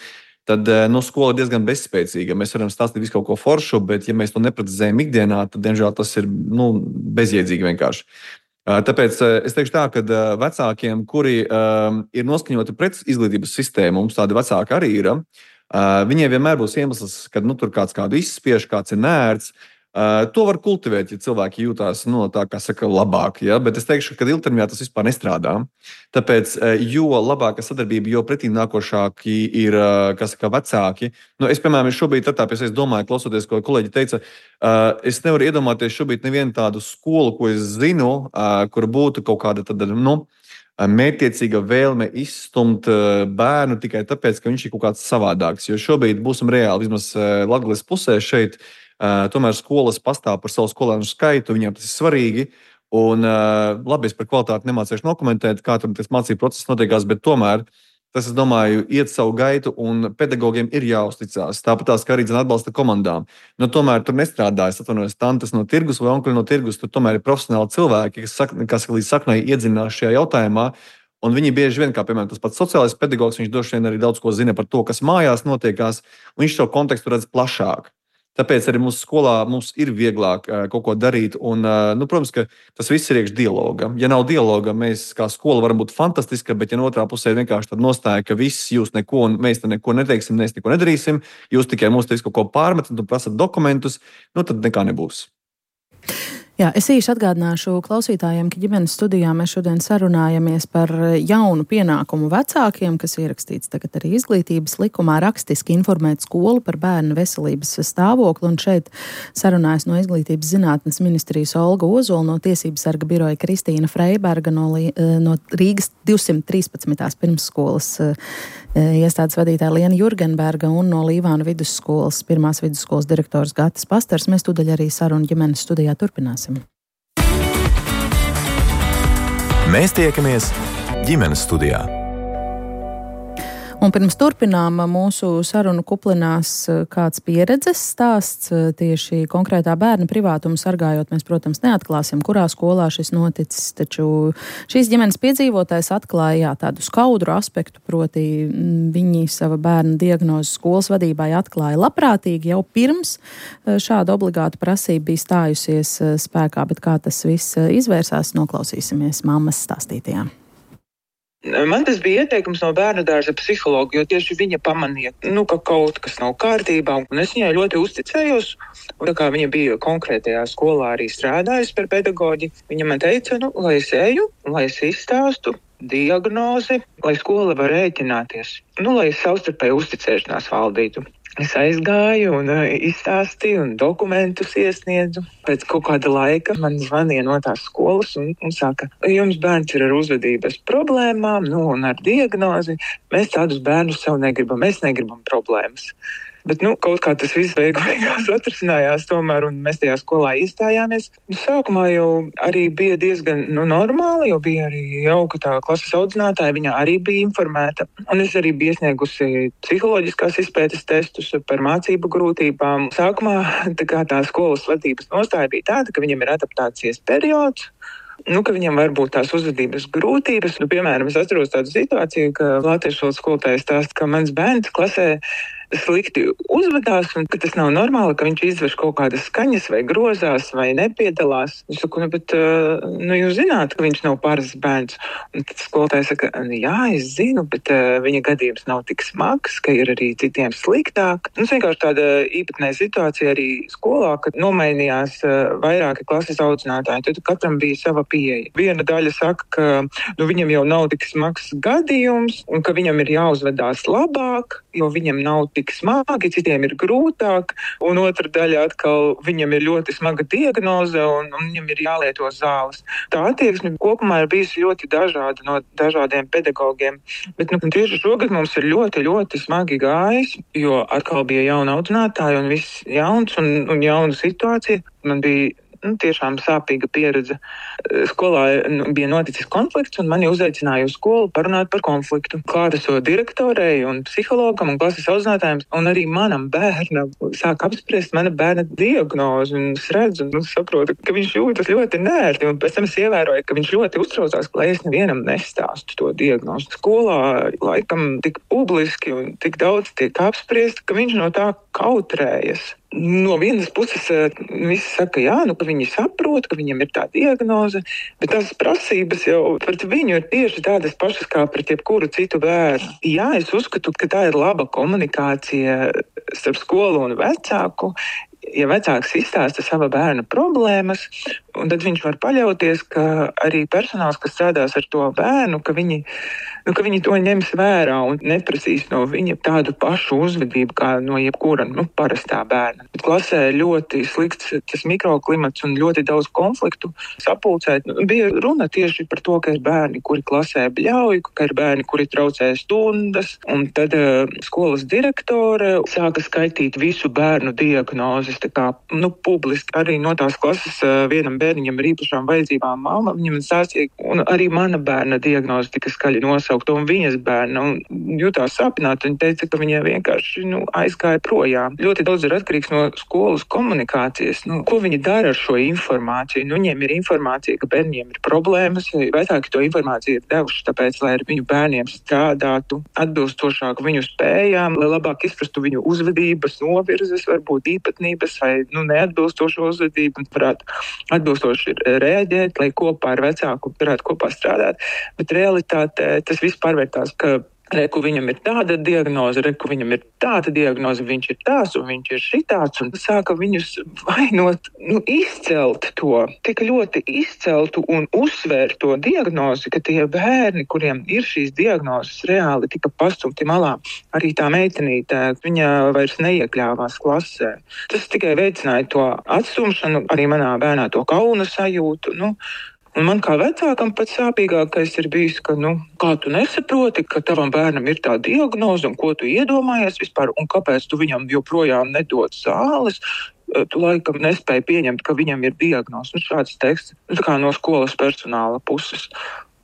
tad skola ir diezgan bezspēcīga. Mēs varam stāstīt visu kaut ko foršu, bet ja mēs to neprecizējam ikdienā, tad, diemžēl, tas ir bezjēdzīgi vienkārši. Tāpēc es teikšu tā, ka vecākiem, kuri ir noskaņoti pret izglītības sistēmu, mums tādi vecāki arī ir, viņiem vienmēr būs iemesls, kad tur kāds kādu izspiež, kāds ir nērts. To var kultivēt, ja cilvēki jūtās tā, kā saka, labāk. Ja? Bet es teikšu, ka ilgtermiņā tas vispār nestrādā. Tāpēc, jo labāka sadarbība, jo pretīm nākošāki ir vecāki. Es, piemēram, šobrīd, es domāju, klausoties, ko kolēģi teica, es nevaru iedomāties šobrīd nevienu tādu skolu, ko es zinu, kur būtu kaut kāda tāda, mērķtiecīga vēlme izstumt bērnu tikai tāpēc, ka viņš ir kaut kāds savādāks. Jo šobrīd būsim reāli, vismaz Latgales pusē šeit, tomēr skolas pastāv par savu skolēnu skaitu, viņiem tas ir svarīgi. Un, labi, es par kvalitāti nemācīšu nokomentēt, kā tur tas mācību process notiekās, bet tomēr tas, es domāju, iet savu gaitu un pedagogiem ir jāuzticās. Tāpat kā arī atbalsta komandām. Tomēr tur nestrādājas, atvainojos, tantes no tirgus vai onkuli no tirgus, tur tomēr ir profesionāli cilvēki, kas līdz saknai iedzinās šajā jautājumā. Un viņi bieži vien, kā piemēram tas pats sociālais pedagogs, viņš droši vien arī daudz ko zina par to, kas mājās notiekās, un viņš šo kontekstu redz plašāk. Tāpēc arī mūsu skolā mums ir vieglāk kaut ko darīt. Un, protams, ka tas viss ir iekš dialoga. Ja nav dialoga, mēs kā skola varam būt fantastiska, bet ja no otrā pusē ir vienkārši tāda nostāja, ka viss jūs neko, un mēs te neko neteiksim, mēs neko nedarīsim, jūs tikai mums te kaut ko pārmetat un prasat dokumentus, tad nekā nebūs. Jā, es īsi atgādināšu klausītājiem, ka ģimenes studijā mēs šodien sarunājamies par jaunu pienākumu vecākiem, kas ierakstīts tagad arī izglītības likumā, rakstiski informēt skolu par bērnu veselības stāvokli. Un šeit sarunājas no Izglītības zinātnes ministrijas Olga Ozola, no Tiesības sarga biroja Kristīna Freiberga, no Rīgas 213. pirmsskolas iestādes vadītāja Liena Jurgenberga un no Līvāna vidusskolas, pirmās vidusskolas direktors Gatis Pastars. Mēs tūdaļ arī sarunu ģimenes studijā turpināsim. Mēs tiekamies ģimenes studijā. Un pirms turpinām mūsu sarunu kuplinās kāds pieredzes stāsts tieši konkrētā bērna privātumu sargājot. Mēs, protams, neatklāsim, kurā skolā šis noticis, taču šīs ģimenes piedzīvotājs atklāja tādu skaudru aspektu, proti viņi sava bērna diagnozi skolas vadībai atklāja labprātīgi jau pirms šāda obligāta prasība bija stājusies spēkā, bet kā tas viss izvērsās, noklausīsimies mammas stāstītajā. Man tas bija ieteikums no bērnu dārza psihologa, jo tieši viņa pamanīja, ka kaut kas nav kārtībā, un es viņai ļoti uzticējos. Un tā kā viņa bija konkrētajā skolā arī strādājusi par pedagoģi, viņa man teica, lai es eju, lai es izstāstu diagnozi, lai skola var rēķināties, lai es savstarpēju uzticēšanās valdītu. Es aizgāju un izstāstīju un dokumentus iesniedzu. Pēc kaut kāda laika man zvanīja no tās skolas un saka, jums bērns ir ar uzvedības problēmām, un ar diagnozi. Mēs tādus bērnus sev negribam, mēs negribam problēmas. Bet kaut kā tas viss beigās atrisinājās tomēr, un mēs tajā skolā iestājāmies. Sākumā jau arī bija diezgan normāli, jo bija arī jauka tā klases audzinātāja, viņa arī bija informēta. Un es arī biju iesniegusi psiholoģiskās izpētes testus par mācību grūtībām. Sākumā tā skolas vadības nostāja bija tāda, ka viņam ir adaptācijas periods, ka viņam var būt tās uzvedības grūtības. Piemēram, es atceros tādu situāciju, ka latviešu valodas skolotājs stāsta, ka mans bērns klasē slikti uzvedās, un ka tas nav normāli, ka viņš izveš kaut kādas skaņas vai grozās vai nepiedalās. Es saku, bet jūs zināt, ka viņš nav parasts bērns. Un tad skolotājs saka, jā, es zinu, bet viņa gadījums nav tik smags, ka ir arī citiem sliktāk. Vienkārši tāda īpatnēja situācija arī skolā, kad nomainījās vairāki klases audzinātāji. Tad katram bija sava pieeja. Viena daļa saka, ka viņam jau nav tik smags gadījums, un ka viņam ir jāuzvedās labāk, jo viņam nav tik smagi, citiem ir grūtāk, un otra daļa atkal viņam ir ļoti smaga diagnoze, un viņam ir jālieto zāles. Tā attieksme kopumā ir bijusi ļoti dažāda no dažādiem pedagogiem, bet tieši šogad mums ir ļoti, ļoti smagi gājis, jo atkal bija jauna audzinātāja un viss jauns un jauna situācija. Man bija tiešām sāpīga pieredze. Skolā bija noticis konflikts, un mani uzaicināja uz skolu parunāt par konfliktu. Klātesot direktorei un psihologam un klases audzinātājiem, un arī manam bērnam sāk apspriest mana bērna diagnozi, un es redzu un saprotu, ka viņš jūtas ļoti nērti, un pēc tam es ievēroju, ka viņš ļoti uztraucās, lai es nevienam nestāstu to diagnozi. Skolā laikam tik publiski un tik daudz tiek apspriest, ka viņš no tā kautrējas. No vienas puses visi saka, ka viņi saprot, ka viņam ir tā diagnoze, bet tās prasības jau pret viņu ir tieši tādas pašas kā pret jebkuru citu bērnu. Jā, es uzskatu, ka tā ir laba komunikācija starp skolu un vecāku. ja vecāks izstāsta sava bērna problēmas, un tad viņš var paļauties, ka arī personāls, kas strādās ar to bērnu, ka viņi to ņems vērā un neprasīs no viņa tādu pašu uzvedību kā no jebkura parastā bērna. Bet klasē ļoti slikts tas mikroklimats un ļoti daudz konfliktu sapulcēt. Bija runa tieši par to, ka ir bērni, kuri klasē bļauj, ka ir bērni, kuri traucē stundas, un tad skolas direktore sāka skaitīt visu bērnu diagnozes, tā kā publiski arī no tās klases vienam bērniņam ar īpašām vajadzībām mamma viņam stāstīja, un arī mana bērna diagnoze tika skaļi nosaukta, un viņas bērna jutās sāpināti. Viņa teica, ka viņa vienkārši aizgāja projām. Ļoti daudz ir atkarīgs no skolas komunikācijas. Ko viņi dara ar šo informāciju? Viņiem ir informācija, ka bērniem ir problēmas, vecāki to informāciju ir devuši, tāpēc, lai ar viņu bērniem strādātu atbilstošāk viņu spējām, lai labāk izprastu viņu uzvedības, novirzes, varbūt īpatnības vai neatbilstošo uzvedību, un varētu atbilstoši reaģēt, lai kopā ar vecāku varētu kopā strādāt. Bet realitātē tas viss pārvērtās, ka reku viņam ir tāda diagnoze, viņš ir tās un viņš ir šitāds, un sāka viņus vainot, izcelt to, tik ļoti izceltu un uzsvērt to diagnozi, ka tie bērni, kuriem ir šīs diagnozes, reāli tika pastumti malā. Arī tā meitenīte, viņa vairs neiekļāvās klasē. Tas tikai veicināja to atstumšanu, arī manā bērnā to kauna sajūtu. Un man kā vecākam pats sāpīgākais ir bijis, ka, kā tu nesaproti, ka tavam bērnam ir tā diagnoze, un ko tu iedomājies vispār, un kāpēc tu viņam joprojām nedod zāles, tu laikam nespēji pieņemt, ka viņam ir diagnoze. Šāds teksts, tā kā no skolas personāla puses.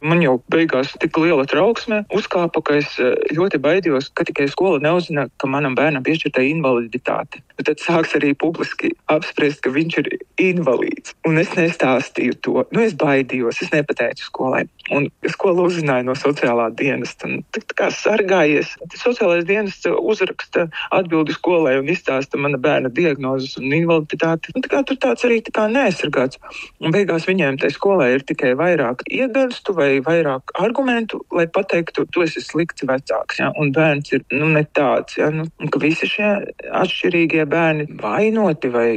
Man jau beigās tik liela trauksme uzkāpa, ka es ļoti baidījos, ka tikai skola neuzzina, ka manam bērnam piešķirta invaliditāte. Bet tad sāks arī publiski apspriest, ka viņš ir invalīds. Un es nestāstīju to. Es baidījos, es nepateicu skolai. Un skola uzzināja no sociālā dienesta. Tā kā sargājies. Sociālais dienests uzraksta atbildi skolai un izstāsta mana bērna diagnozes un invaliditāti. Tur tāds arī neaizsargāts. Un beigās viņiem tai skolai ir tikai vairāk iegarstu vai vairāk argumentu, lai pateiktu, tu esi slikts vecāks, ja? Un bērns ir ne tāds, ja? Un ka visi šie atšķirīgie bērni vainoti vai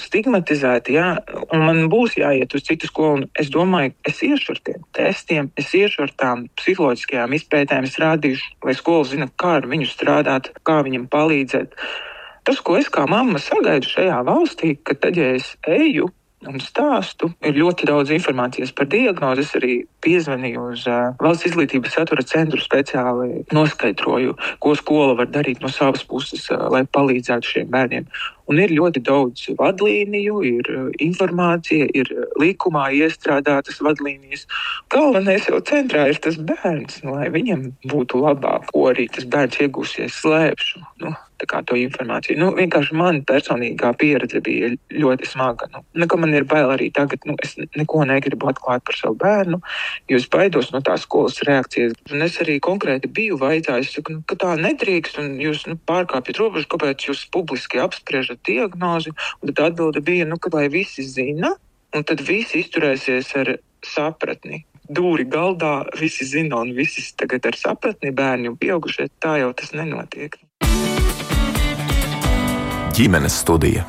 stigmatizēti, ja? Un man būs jāiet uz citu skolu, un es domāju, es iešu ar tiem testiem, es iešu ar tām psiholoģiskajām izpētēm, es rādīšu, lai skola zina, kā ar viņu strādāt, kā viņam palīdzēt. Tas, ko es kā mamma sagaidu šajā valstī, ka tad, ja es eju un stāstu, ir ļoti daudz informācijas par diagnozi. Es arī piezvanīju uz Valsts izglītības satura centru, speciāli noskaidroju, ko skola var darīt no savas puses, lai palīdzētu šiem bērniem. Un ir ļoti daudz vadlīniju, ir informācija, ir likumā iestrādātas vadlīnijas. Galvenais jau centrā ir tas bērns, lai viņam būtu labāk, ko arī tas bērns iegūsies slēpšu. Tā kā to informāciju. Vienkārši man personīgā pieredze bija ļoti smaga. Ka man ir bail arī tagad, es neko negribu atklāt par savu bērnu, jo es baidos no tās skolas reakcijas. Un es arī konkrēti biju vaicājis, ka tā nedrīkst, un jūs pārkāpjat robežu, kāpēc jūs publiski apspriežat diagnozi. Un tad atbilde bija, ka lai visi zina, un tad visi izturēsies ar sapratni. Dūri galdā, visi zina, un visi tagad ar sapratni, bērni un pieaugušie, tā jau tas nenotiek. Ģimenes studija.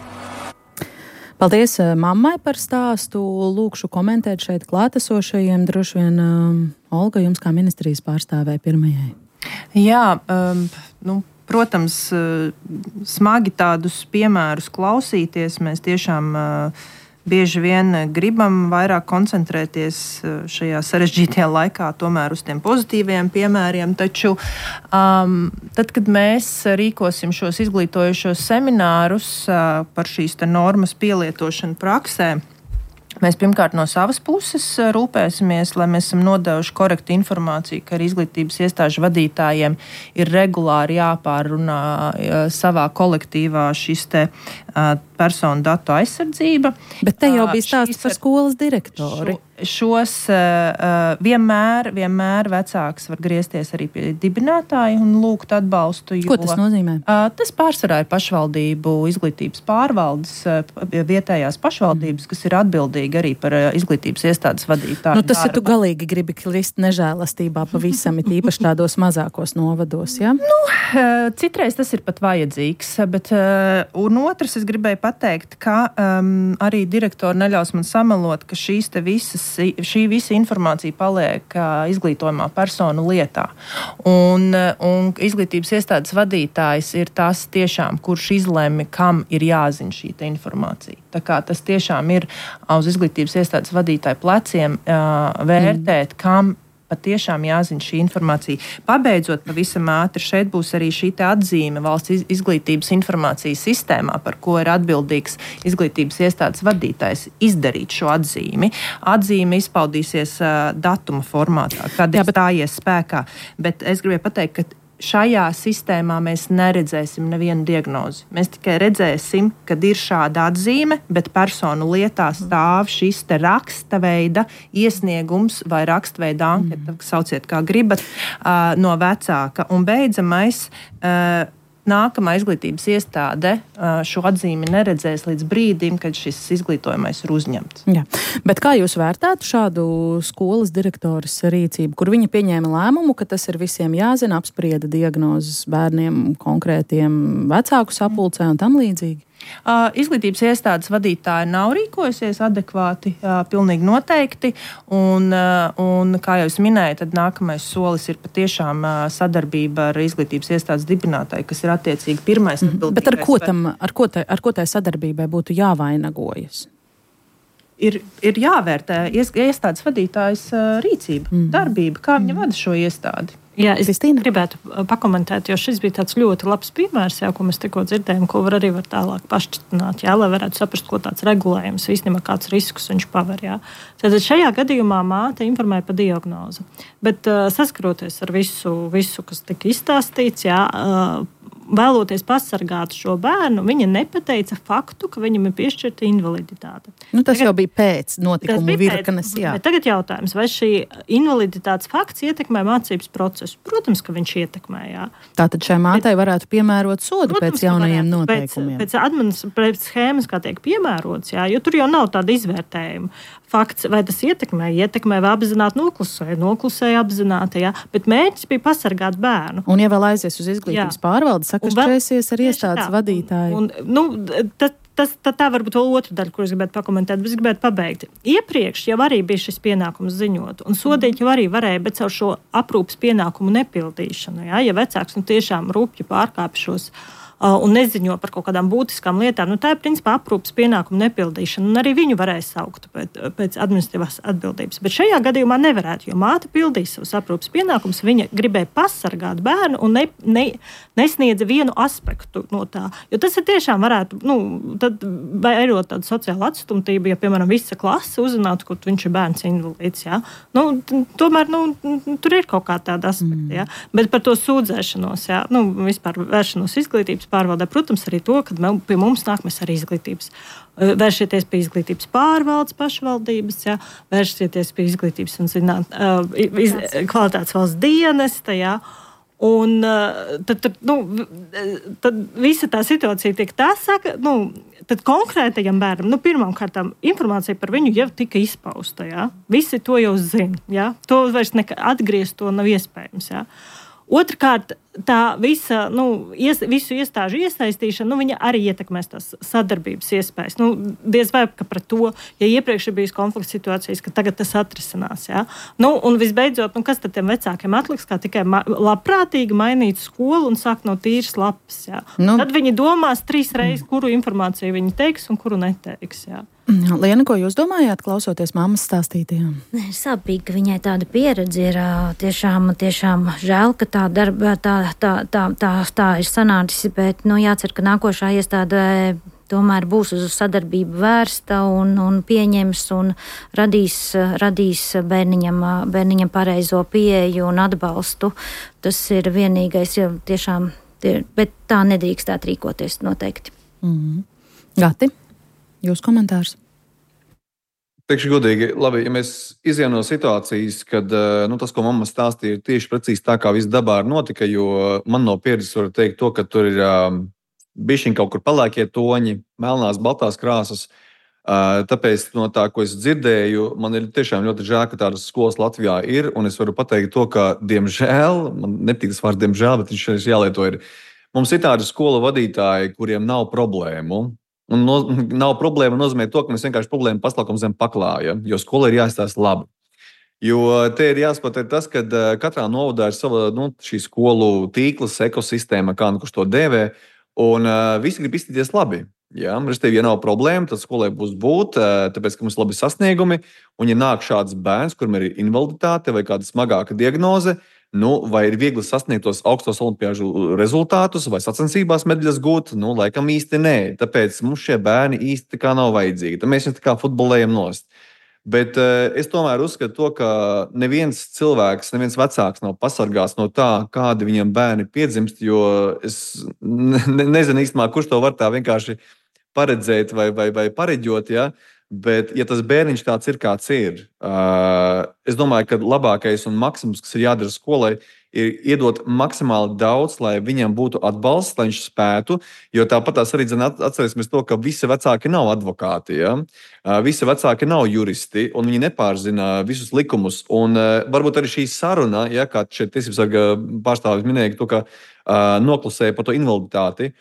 Paldies mammai par stāstu. Lūkšu komentēt šeit klātesošajiem. Droši vien Olga, jums kā ministrijas pārstāvē pirmajai. Jā, protams, smagi tādus piemērus klausīties. Mēs tiešām bieži vien gribam vairāk koncentrēties šajā sarežģītajā laikā tomēr uz tiem pozitīviem piemēriem, taču tad, kad mēs rīkosim šos izglītojošos seminārus par šīs normas pielietošanu praksē, mēs pirmkārt no savas puses rūpēsimies, lai mēs esam nodevuši korektu informāciju, ka arī izglītības iestāžu vadītājiem ir regulāri jāpārrunā savā kolektīvā šis te personu datu aizsardzība. Bet te jau bija stāsts par skolas direktori. Šos vienmēr vecāks var griezties arī pie dibinātāja un lūgt atbalstu. Ko tas nozīmē? Tas pārsvarā ir pašvaldību izglītības pārvaldes, vietējās pašvaldības, kas ir atbildīgi arī par izglītības iestādes vadītāju. Tas ir tu galīgi gribi krist nežēlastībā pavisam, it īpaši tādos mazākos novados, ja? Citreiz tas ir pat vajadzīgs, bet un otrs es gribēju pateikt, ka arī direktori neļaus man samelot, ka šī visa informācija paliek izglītojumā personu lietā. Un izglītības iestādes vadītājs ir tas tiešām, kurš izlemj, kam ir jāzina šī informācija. Tā kā tas tiešām ir uz izglītības iestādes vadītāju pleciem vērtēt, kam patiešām jāzina šī informācija. Pabeidzot pavisam ātri, šeit būs arī šī atzīme valsts izglītības informācijas sistēmā, par ko ir atbildīgs izglītības iestādes vadītājs izdarīt šo atzīmi. Atzīme izpaudīsies datuma formātā, kad ir stājies spēkā. Bet es gribēju pateikt, ka šajā sistēmā mēs neredzēsim nevienu diagnozi. Mēs tikai redzēsim, kad ir šāda atzīme, bet personu lietā stāv šis te raksta veida iesniegums vai rakstveida anketa, sauciet kā gribat, no vecāka. Un beidzamais, nākamā izglītības iestāde šo atzīmi neredzēs līdz brīdim, kad šis izglītojamais ir uzņemts. Jā. Bet kā jūs vērtētu šādu skolas direktoras rīcību, kur viņa pieņēma lēmumu, ka tas ir visiem jāzina, apsprieda diagnozes bērniem, konkrētiem vecāku sapulcē un tam līdzīgi? Izglītības iestādes vadītāji nav rīkojusies adekvāti, pilnīgi noteikti, un kā jau es minēju, tad nākamais solis ir patiešām sadarbība ar izglītības iestādes dibinātāju, kas ir attiecīgi pirmais atbildīgais. Bet ar ko tai sadarbībai būtu jāvainagojas? Ir jāvērtē iestādes vadītājas rīcība, darbība, kā viņa vada šo iestādi. Jā, es gribētu pakomentēt, jo šis bija tāds ļoti labs piemērs, ko mēs tikko dzirdējām, ko var tālāk pašķitināt, lai varētu saprast, ko tāds regulējums, īstenībā kāds riskus viņš paver. Tad šajā gadījumā māte informēja par diagnozi, bet saskaroties ar visu, kas tika izstāstīts, vēloties pasargāt šo bērnu, viņa nepateica faktu, ka viņam ir piešķirta invaliditāte. Tas jau bija pēc notikuma virknes. Tagad jautājums, vai šī invaliditātes fakts ietekmē mācības procesu? Protams, ka viņš ietekmē. Tātad šai mātei varētu piemērot sodu pēc jaunajiem noteikumiem. Pēc schēmas, kā tiek piemērots, jo tur jau nav tāda izvērtējuma. Fakts, vai tas ietekmē vai apzināti noklusēja apzināti, bet mērķis bija pasargāt bērnu. Un ja vēl aizies uz izglītības pārvaldi, sakašķēsies ar iestādes vadītāju. Tā varbūt vēl otra daļa, kur es gribētu pakomentēt, bet es gribētu pabeigt. Iepriekš jau arī bija šis pienākums ziņot, un sodīt jau arī varēja, bet caur šo aprūpas pienākumu nepildīšanu. Ja vecāks tiešām rupji pārkāpj šos un neziņo par kaut kādām būtiskām lietām, tā ir principā aprūpas pienākumu nepildīšana, un arī viņu varēja saukt pēc administratīvās atbildības. Bet šajā gadījumā nevarētu, jo māte pildīja savus aprūpas pienākumus, viņa gribēja pasargāt bērnu un nesniedza vienu aspektu no tā. Jo tas ir tiešām varētu, tad vairot tādu sociālu atstumtību, ja, piemēram, visa klase uzzinātu, ka viņš ir bērns invalīds, tomēr, tur ir kaut kā tāda aspekta, Bet par to sūdzēšanos, vispār vēršanos izglītības pārvaldē, protams, arī to, kad pie mums nāk, mēs arī vēršieties pie izglītības pārvaldes pašvaldības, vēršieties pie izglītības un kvalitātes valsts dienesta, un tad visa tā situācija tiek tad konkrētajam bērnam, pirmkārt, informācija par viņu jau tika izpausta, Visi to jau zina, To vairs atgriezt to nav iespējams, Otrkārt, tā visa, visu iestāžu iesaistīšana, viņa arī ietekmēs tās sadarbības iespējas. Diez vai ka par to, ja iepriekš ir bijis konflikts situācijas, ka tagad tas atrisinās, Un visbeidzot, kas tad tiem vecākiem atliks, kā tikai labprātīgi mainīt skolu un sākt no tīras lapas, Tad viņi domās 3 reizes, kuru informāciju viņi teiks un kuru neteiks, Liena, ko jūs domājāt, klausoties mammas stāstītajām? Sāpīgi, ka viņai tāda pieredze ir tiešām žēl, ka tā darba tā ir sanācis, bet jācer, ka nākošā iestādē tomēr būs uz sadarbību vērsta un pieņems un radīs bērniņam pareizo pieeju un atbalstu. Tas ir vienīgais, tiešām, bet tā nedrīkstāt rīkoties noteikti. Gati? Jūs komentārs? Teikšu godīgi, labi, ja mēs izejam no situācijas, kad tas, ko mamma stāstīja, ir tieši precīzi tā, kā viss dabā notika, jo man no pieredzes var teikt to, ka tur ir bišķiņ kaut kur palēkie toņi, melnās, baltās krāsas. Tāpēc no tā, ko es dzirdēju, man ir tiešām ļoti žēl, ka tādas skolas Latvijā ir, un es varu pateikt to, ka, diemžēl, man nepatīk tas vārds diemžēl, bet viņš jālieto ir. Mums ir tādi skolu vadītāji, kuriem nav problēmu Un nav problēma nozīmē to, ka mēs vienkārši problēmu paslaukam zem paklāja, jo skola ir jāizstāsta labi. Jo te ir jāsaprot tas, ka katrā novadā ir sava šī skolu tīkls, ekosistēma, kā kurš to dēvē, un visi grib izskatīties labi. Ja? Restīvi, ja nav problēma, tad skolai būs būt, tāpēc, ka mums ir labi sasniegumi, un ja nāk šāds bērns, kuram ir invaliditāte vai kāda smagāka diagnoze, vai ir viegli sasniegt tos augstos olimpiāžu rezultātus, vai sacensībās medaļas gūt, laikam īsti nē. Tāpēc mums šie bērni īsti kā nav vajadzīgi. Tad mēs viņus tā kā futbolējam nost. Bet es tomēr uzskatu to, ka neviens cilvēks, neviens vecāks nav pasargāts no tā, kādi viņam bērni piedzimst, jo es nezinu īstenībā, kurš to var tā vienkārši paredzēt vai pareģot, ja? Bet, ja tas bērniņš tāds ir, kāds ir, es domāju, ka labākais un maksimums, kas ir jādara skolai, ir iedot maksimāli daudz, lai viņam būtu atbalsts, lai viņš spētu. Jo tāpat arī atcerēsimies to, ka visi vecāki nav advokāti. Ja? Visi vecāki nav juristi, un viņi nepārzina visus likumus. Un varbūt arī šī saruna, ja, kā šeit tiesības sarga pārstāvis minēja, to, ka noklusēja par to invaliditāti.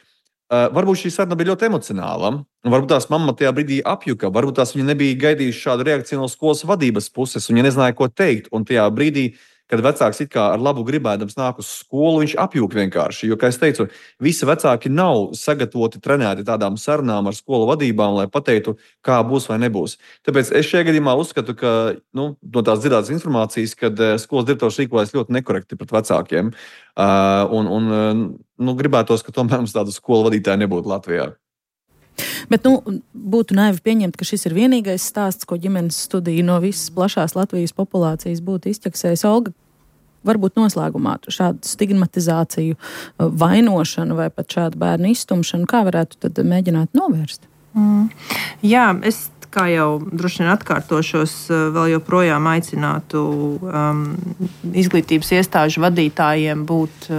Varbūt šī saruna bija ļoti emocionāla. Varbūt tās mamma tajā brīdī apjuka. Varbūt tās viņa nebija gaidījusi šādu reakciju no skolas vadības puses, un viņa nezināja, ko teikt. Un tajā brīdī, kad vecāks it kā ar labu gribēdams nāk uz skolu, viņš apjūk vienkārši. Jo, kā es teicu, visi vecāki nav sagatavoti, trenēti tādām sarunām ar skolu vadībām, lai pateiktu, kā būs vai nebūs. Tāpēc es šajā gadījumā uzskatu, ka no tās dzirdētas informācijas, kad skolas direktors rīkojas ļoti nekorekti pret vecākiem. Gribētos, ka tomēr mums tādu skolu vadītāju nebūtu Latvijā. Bet būtu naivi pieņemt, ka šis ir vienīgais stāsts, ko ģimenes studija no visas plašās Latvijas populācijas būtu izķeksējis. Olga, varbūt noslēgumā šādu stigmatizāciju, vainošanu vai pat šādu bērnu izstumšanu, kā varētu tad mēģināt novērst? Jā, es kā jau droši vien atkārtošos, vēl joprojām aicinātu izglītības iestāžu vadītājiem būt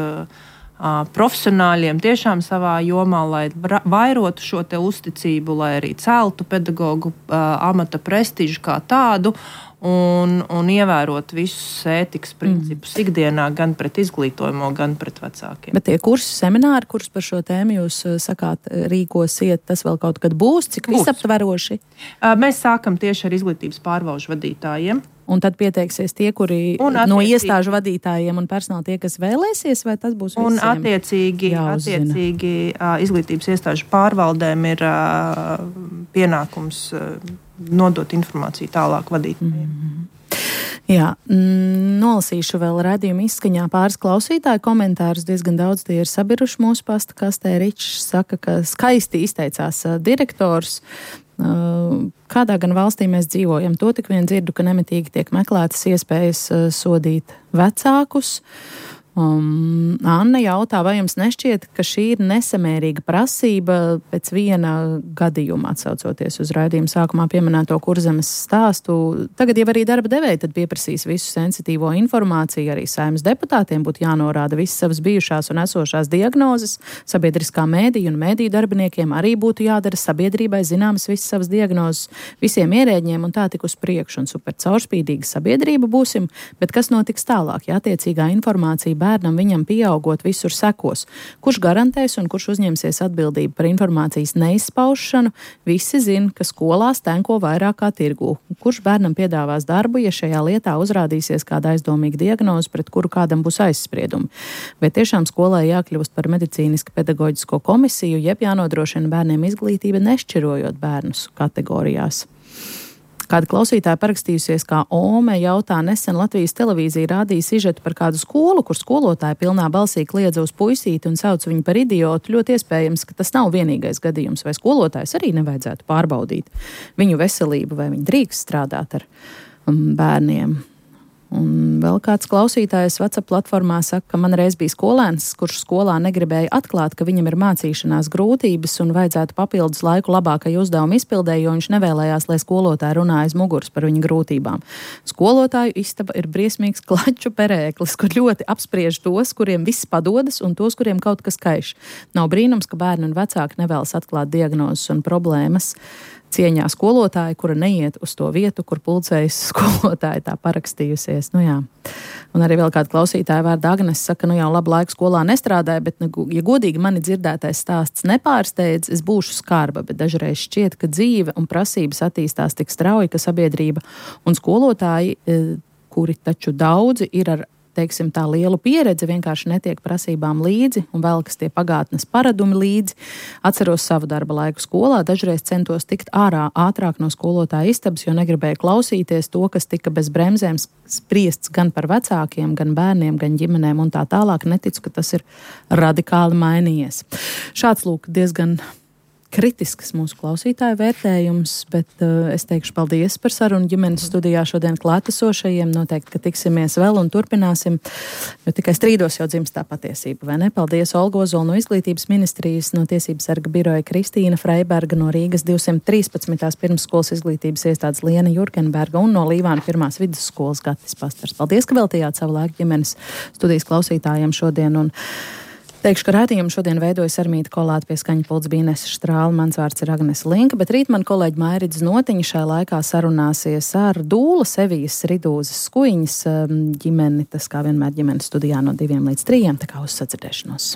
profesionāļiem tiešām savā jomā, lai vairotu šo te uzticību, lai arī celtu pedagogu amata prestižu kā tādu un ievērot visus ētikas principus ikdienā gan pret izglītojumu, gan pret vecākiem. Bet tie kursi, semināri, kurus par šo tēmu jūs sakāt rīkosiet, tas vēl kaut kad būs? Cik visaptveroši? Mēs sākam tieši ar izglītības pārvalžu vadītājiem. Un tad pieteiksies tie, kuri no iestāžu vadītājiem un personāla tie, kas vēlēsies, vai tas būs visiem? Un attiecīgi izglītības iestāžu pārvaldēm ir pienākums nodot informāciju tālāk vadītājiem. Jā, nolasīšu vēl raidījuma izskaņā pāris klausītāju komentārus. Diezgan daudz tie ir sabiruši mūsu pasta kastē. Ričs saka, ka skaisti izteicās direktors. Kādā gan valstī mēs dzīvojam? To tik vien dzirdu, ka nemitīgi tiek meklētas iespējas sodīt vecākus. Anna jautā, vai jums nešķiet, ka šī ir nesamērīga prasība pēc viena gadījuma, atsaucoties uz raidījuma sākumā pieminēto Kurzemes stāstu. Tagad jau arī darba devēji tad pieprasīs visu sensitīvo informāciju, arī Saeimas deputātiem būtu jānorāda visas savas bijušās un esošās diagnozes, sabiedriskā mēdīja un mēdīju darbiniekiem arī būtu jādara sabiedrībai zināmas visas savas diagnozes, visiem ierēģiem un tā tik uz priekšu un super caurspīdīga sabiedrība būsim, bet kas notiks tālāk, ja attiecīgā informācija bērnam viņam pieaugot visur sekos. Kurš garantēs un kurš uzņemsies atbildību par informācijas neizpaušanu? Visi zina, ka skolās tenko vairāk kā tirgū. Kurš bērnam piedāvās darbu, ja šajā lietā uzrādīsies kāda aizdomīga diagnoze, pret kuru kādam būs aizspriedumi? Vai tiešām skolai jākļūst par medicīniski pedagoģisko komisiju, jeb jānodrošina bērniem izglītība, nešķirojot bērnus kategorijās? Kāda klausītāja parakstījusies kā Ome jautā, nesen Latvijas televīzija rādīja sižetu par kādu skolu, kur skolotāja pilnā balsī kliedza uz puisīti un sauc viņu par idiotu. Ļoti iespējams, ka tas nav vienīgais gadījums, vai skolotājs arī nevajadzētu pārbaudīt viņu veselību, vai viņi drīkst strādāt ar bērniem. Un vēl kāds klausītājs WhatsApp platformā saka, ka man reiz bija skolēns, kurš skolā negribēja atklāt, ka viņam ir mācīšanās grūtības un vajadzētu papildus laiku labākai uzdevumu izpildē, jo viņš nevēlējās, lai skolotāji runā aiz muguras par viņa grūtībām. Skolotāju istaba ir briesmīgs klaču perēklis, kur ļoti apspriež tos, kuriem viss padodas un tos, kuriem kaut kas kaiš. Nav brīnums, ka bērni un vecāki nevēlas atklāt diagnozes un problēmas. cieņā skolotāja, kura neiet uz to vietu, kur pulcējas skolotāja tā parakstījusies. Nu jā. Un arī vēl kāda klausītāja vārda Agnes saka, nu jau labu laiku skolā nestrādāja, bet, ja godīgi mani dzirdētais stāsts nepārsteidz, es būšu skarba, bet dažreiz šķiet, ka dzīve un prasības attīstās tik strauji, ka sabiedrība un skolotāji, kuri taču daudzi ir ar, teiksim, tā lielu pieredzi, vienkārši netiek prasībām līdzi un velkas tie pagātnes paradumi līdzi. Atceros savu darba laiku skolā, dažreiz centos tikt ārā ātrāk no skolotāja istabas, jo negribēju klausīties to, kas tika bez bremzēm spriests gan par vecākiem, gan bērniem, gan ģimenēm un tā tālāk. Neticu, ka tas ir radikāli mainījies. Šāds lūk diezgan kritisks mūsu klausītāju vērtējums, bet es teikšu paldies par sarunu ģimenes studijā šodien klātesošajiem. Noteikti, ka tiksimies vēl un turpināsim, jo tikai strīdos jau dzimst tā patiesība, vai ne? Paldies Olga Ozola no Izglītības ministrijas, no Tiesības sarga biroja Kristīna Freiberga, no Rīgas 213. pirmsskolas izglītības iestādes Liena Jurgenberga un no Līvāna 1. vidusskolas Gatis Pastars. Paldies, ka veltījāt savu laiku ģimenes studijas klausītājiem šodien un teikšu, ka raidījumu šodien veidojas Armīta Kolāte, pie skaņa pults bija Inese Štrāle, mans vārds ir Agnese Linka, bet rīt man kolēģi Mairits Notiņa šajā laikā sarunāsies ar Dūla Sevijas Ridūzes Skuiņas ģimeni, tas kā vienmēr ģimenes studijā no 2 līdz 3, tā kā uz sadzirdēšanos.